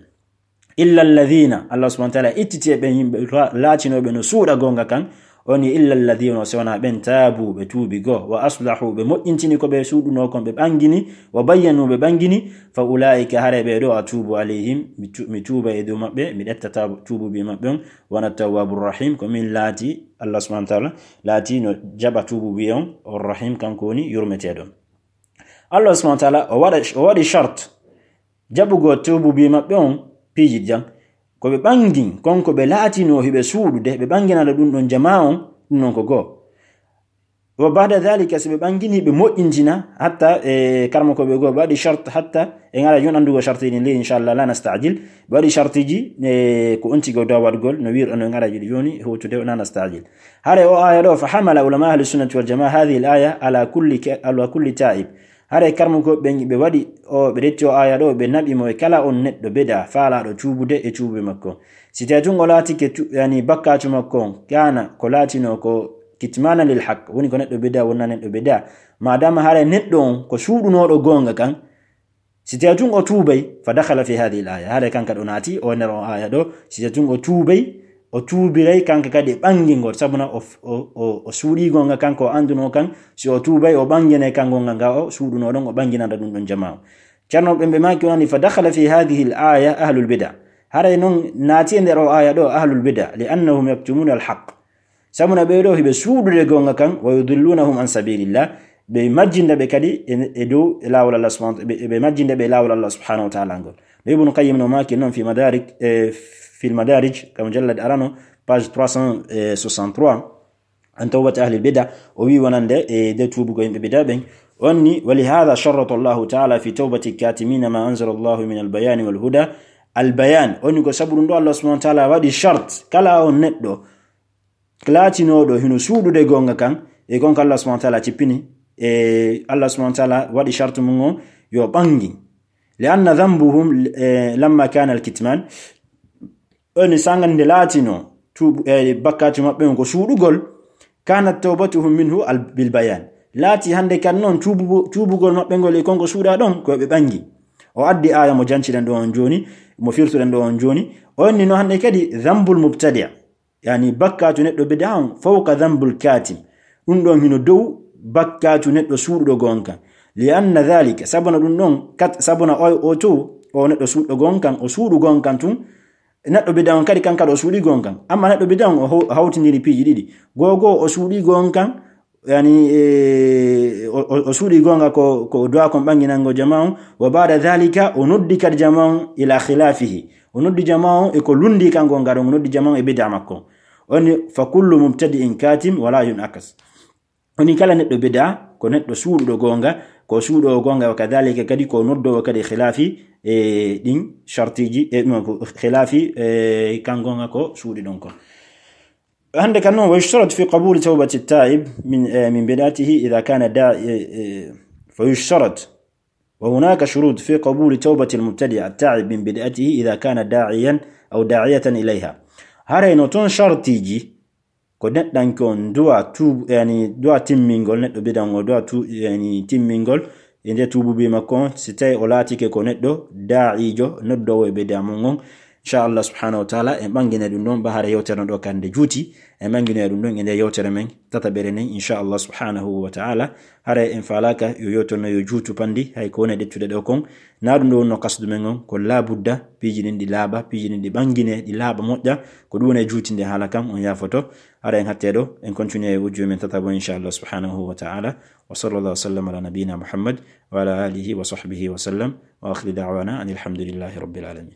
"Illa alladhina", Allah subhanahu wa ta'ala ittiti e ɓen yimɓe ra-, laatinooɓe no suuɗa goonga kan, on ni, "illa alladhina", si wonaa ɓen, "taabu", ɓe tuubi goo, "wa aslahu", ɓe moƴƴintini ko ɓe suuɗunoo kon, ɓe ɓangini, "wa bayyanu", ɓe ɓangini, "fa ulaa'ika", haray ɓee ɗoo, "atuubu alayhim", mi tu-, mi tuuba e dow maɓɓe, mi ƴetta taabu-, tuubuubi maɓɓe on, "wa ana tawwaabu rahim", ko min laati, Allah subhanahu wa ta'ala laati no jaɓa tuubuubi on, o rahim, kanko woni yurmeteeɗo. Allah subhanahu wa ta'ala o waɗa, o waɗi shart jaɓugol tuubuubi maɓɓe on piiji ɗiɗi. Ko ɓe ɓangin, kon ko ɓe laatinoo hiɓe suuɗude, ɓe ɓanginana ɗum ɗon jamaa on, ɗum ɗon ko goo. Wa ba'da dhalika, si ɓe ɓangini, ɓe moƴƴintina, hatta, e, karma ko ɓe goo, ɓe waɗi shart, hatta, e ngara yon anndugo sharti ɗin ley, inshallah, la nasta'jil. Ɓe waɗi shartiji, e, ko on tigi o dawa waɗugol, no wi'ir on e ngara jiɗi joni, hewtude o la nasta'jil. Hare o aya ɗo, fa hamala ulama ahli sunnati wal jamaa hadhihi al aya ala kulli ka-, ala kulli ta'ib. Hare karma ko ɓe, ɓe waɗi o, ɓe retti o aya ɗo, ɓe naɓi mo e kala on neɗɗo bid'a, faalaaɗo tuubude e tuubi makko. Si tawi tun o laatike tu-, yani, bakkatu makko on, kana ko laatinoo ko kitmanan lil haqq, woni ko neɗɗo bid'a, wonna neɗɗo bid'a. Madama haray neɗɗo on ko suuɗunooɗo goonga kan, si tawi tun o tuubay, fa dakhala fi hadhihi al aya. Haray kanka ɗo naati, o nder o aya ɗo, si tawi tun o tuubay, o tuubiray kanka kadi e ɓangingol, sabuna o, o, o, o suuɗii goonga kan ko o andunoo kan, si o tuubay, o ɓanginay kan goonga nga o suuɗunoo ɗon, o ɓanginana ɗum ɗon jamaa. Ceerno ɓen ɓe maaki wonani, fa dakhala fi hadhihi al aya ahlul bid'a. Haray non naati e nder o aya ɗo ahlul bid'a, li annahum yaktumuna al haqq. Sabuna ɓee ɗoo hiɓe suuɗude goonga kan, wa yudillunahum an sabilillah, ɓe majjinda ɓe kadi e, e dow e laawol Allah subhanahu, ɓe, ɓe majjinda ɓe e laawol Allah subhanahu wa ta'ala ngol. No Ibn Qayyim no maaki non fi Madarik, e, fil Madarij, ka mujallad arano, page trois cent soixante-trois, an tawbati ahlil bid'a, o wi wonande e de tuubugo yimɓe bid'a ɓen. On ni, wa li hadha sharrata Allahu ta'ala fi tawbati katimina ma anzala Allahu min al bayani wal huda. Al bayan, on ni ko sabu ɗum ɗo Allah subhanahu wa ta'ala waɗi shart, kala on neɗɗo laatinooɗo hino suuɗude goonga kan, e kon ko Allah subhanahu wa ta'ala cippini, e Allah subhanahu wa ta'ala waɗi shartu mum on yo ɓangi. Li anna dhanbuhum, eh, lamma kana al-kitman, on sanga nde laatinoo tuubu-, eh, bakkatu maɓɓe on ko suuɗugol, kanat tawbatuhum minhu al-, bil bayan. Laati hande kan non tuubu-, tuubugol maɓɓe ngol e kon ko suuɗa ɗon, ko ɓe ɓangi. O addi aya mo janciɗen ɗo on jooni, mo firtuɗen ɗo on jooni. On ni no hande kadi dhanbul mubtadi'. Yani, bakkatu neɗɗo bid'a on fawqa dhanbul katim. Ɗum ɗon hino dow bakkatu neɗɗo suuɗuɗo goonga kan. Li anna dhalika, sabuna ɗum ɗon, kat-, sabuna o, o to, o neɗɗo suuɗuɗo goonga kan, o suuɗu goonga kan tun, neɗɗo bid'a on kadi kan kadi o suuɗi goonga kan. Amma neɗɗo bid'a on o haw-, hawtindiri piiji ɗiɗi. Goo goo o suuɗi goonga kan, yani, e, o, o, o suuɗi goonga ko, ko o du'a kon ɓanginango jamaa on. Wa ba'da dhalika, o noddi kadi jamaa on ila khilafihi. O noddi jamaa on e ko lundi kan goonga ɗon, o noddi jamaa on e bid'a makko. On ni, fa kullu mubtadi'in katim wala yun'akas. On ni kala neɗɗo bid'a, ko neɗɗo suuɗuɗo goonga, ko suuɗo goonga, wa kadhalika kadi ko noddowo kadi khilafi, e, ɗin shartiji, e, ɗum ko khilafi, e, kan goonga ko suuɗi ɗon kon. Hande kan non, wa yushtarat fi qabuli tawbati ta'ib min, eh, min bid'atihi idha kana da-, eh, eh, fa yushtarat. Wa hunaka shurut fi qabuli tawbati al-mubtadi' at-ta'ib min bid'atihi idha kana da'iyan aw da'iyatan ilayha. Haray no ton shartiji ko neɗɗanke on du'a tuub-, yani, du'a timmingol, neɗɗo bid'a on o du'a tu-, yani, timmingol, e nde tuububi makko on, si tawi o laatike ko neɗɗo daa'ijo, noddowo e bid'a mun on, Inchallah subhanahu wa taala, en ɓanngine ɗum ɗon ba hara yewtere no ɗo kadi nde juuti. En ɓannginoya ɗum ɗon e nde yewtere men tataɓere nden, inchallah subhanahu wa taala. Hara en faalaka yo yewtere no yo juutu panndi, hay ko woni e ɗettude ɗo kon. Na ɗum ɗo wonno kasdu men on, ko laabudda piiji ɗin ɗi laaɓa, piiji ɗin ɗi ɓanngine, ɗi laaɓa moƴƴa. Ko ɗum woni e juutinde haala kan, on yaafoto. Hara en hatte ɗo, en continue e audio men tataɓo, inchallah subhanahu wa taala. Wa sallallahu wa sallam ala nabiyina Muhammad wa ala alihi wa sahbihi wa sallam. Wa akhiri da'wana anil hamdulillahi rabbil alamin.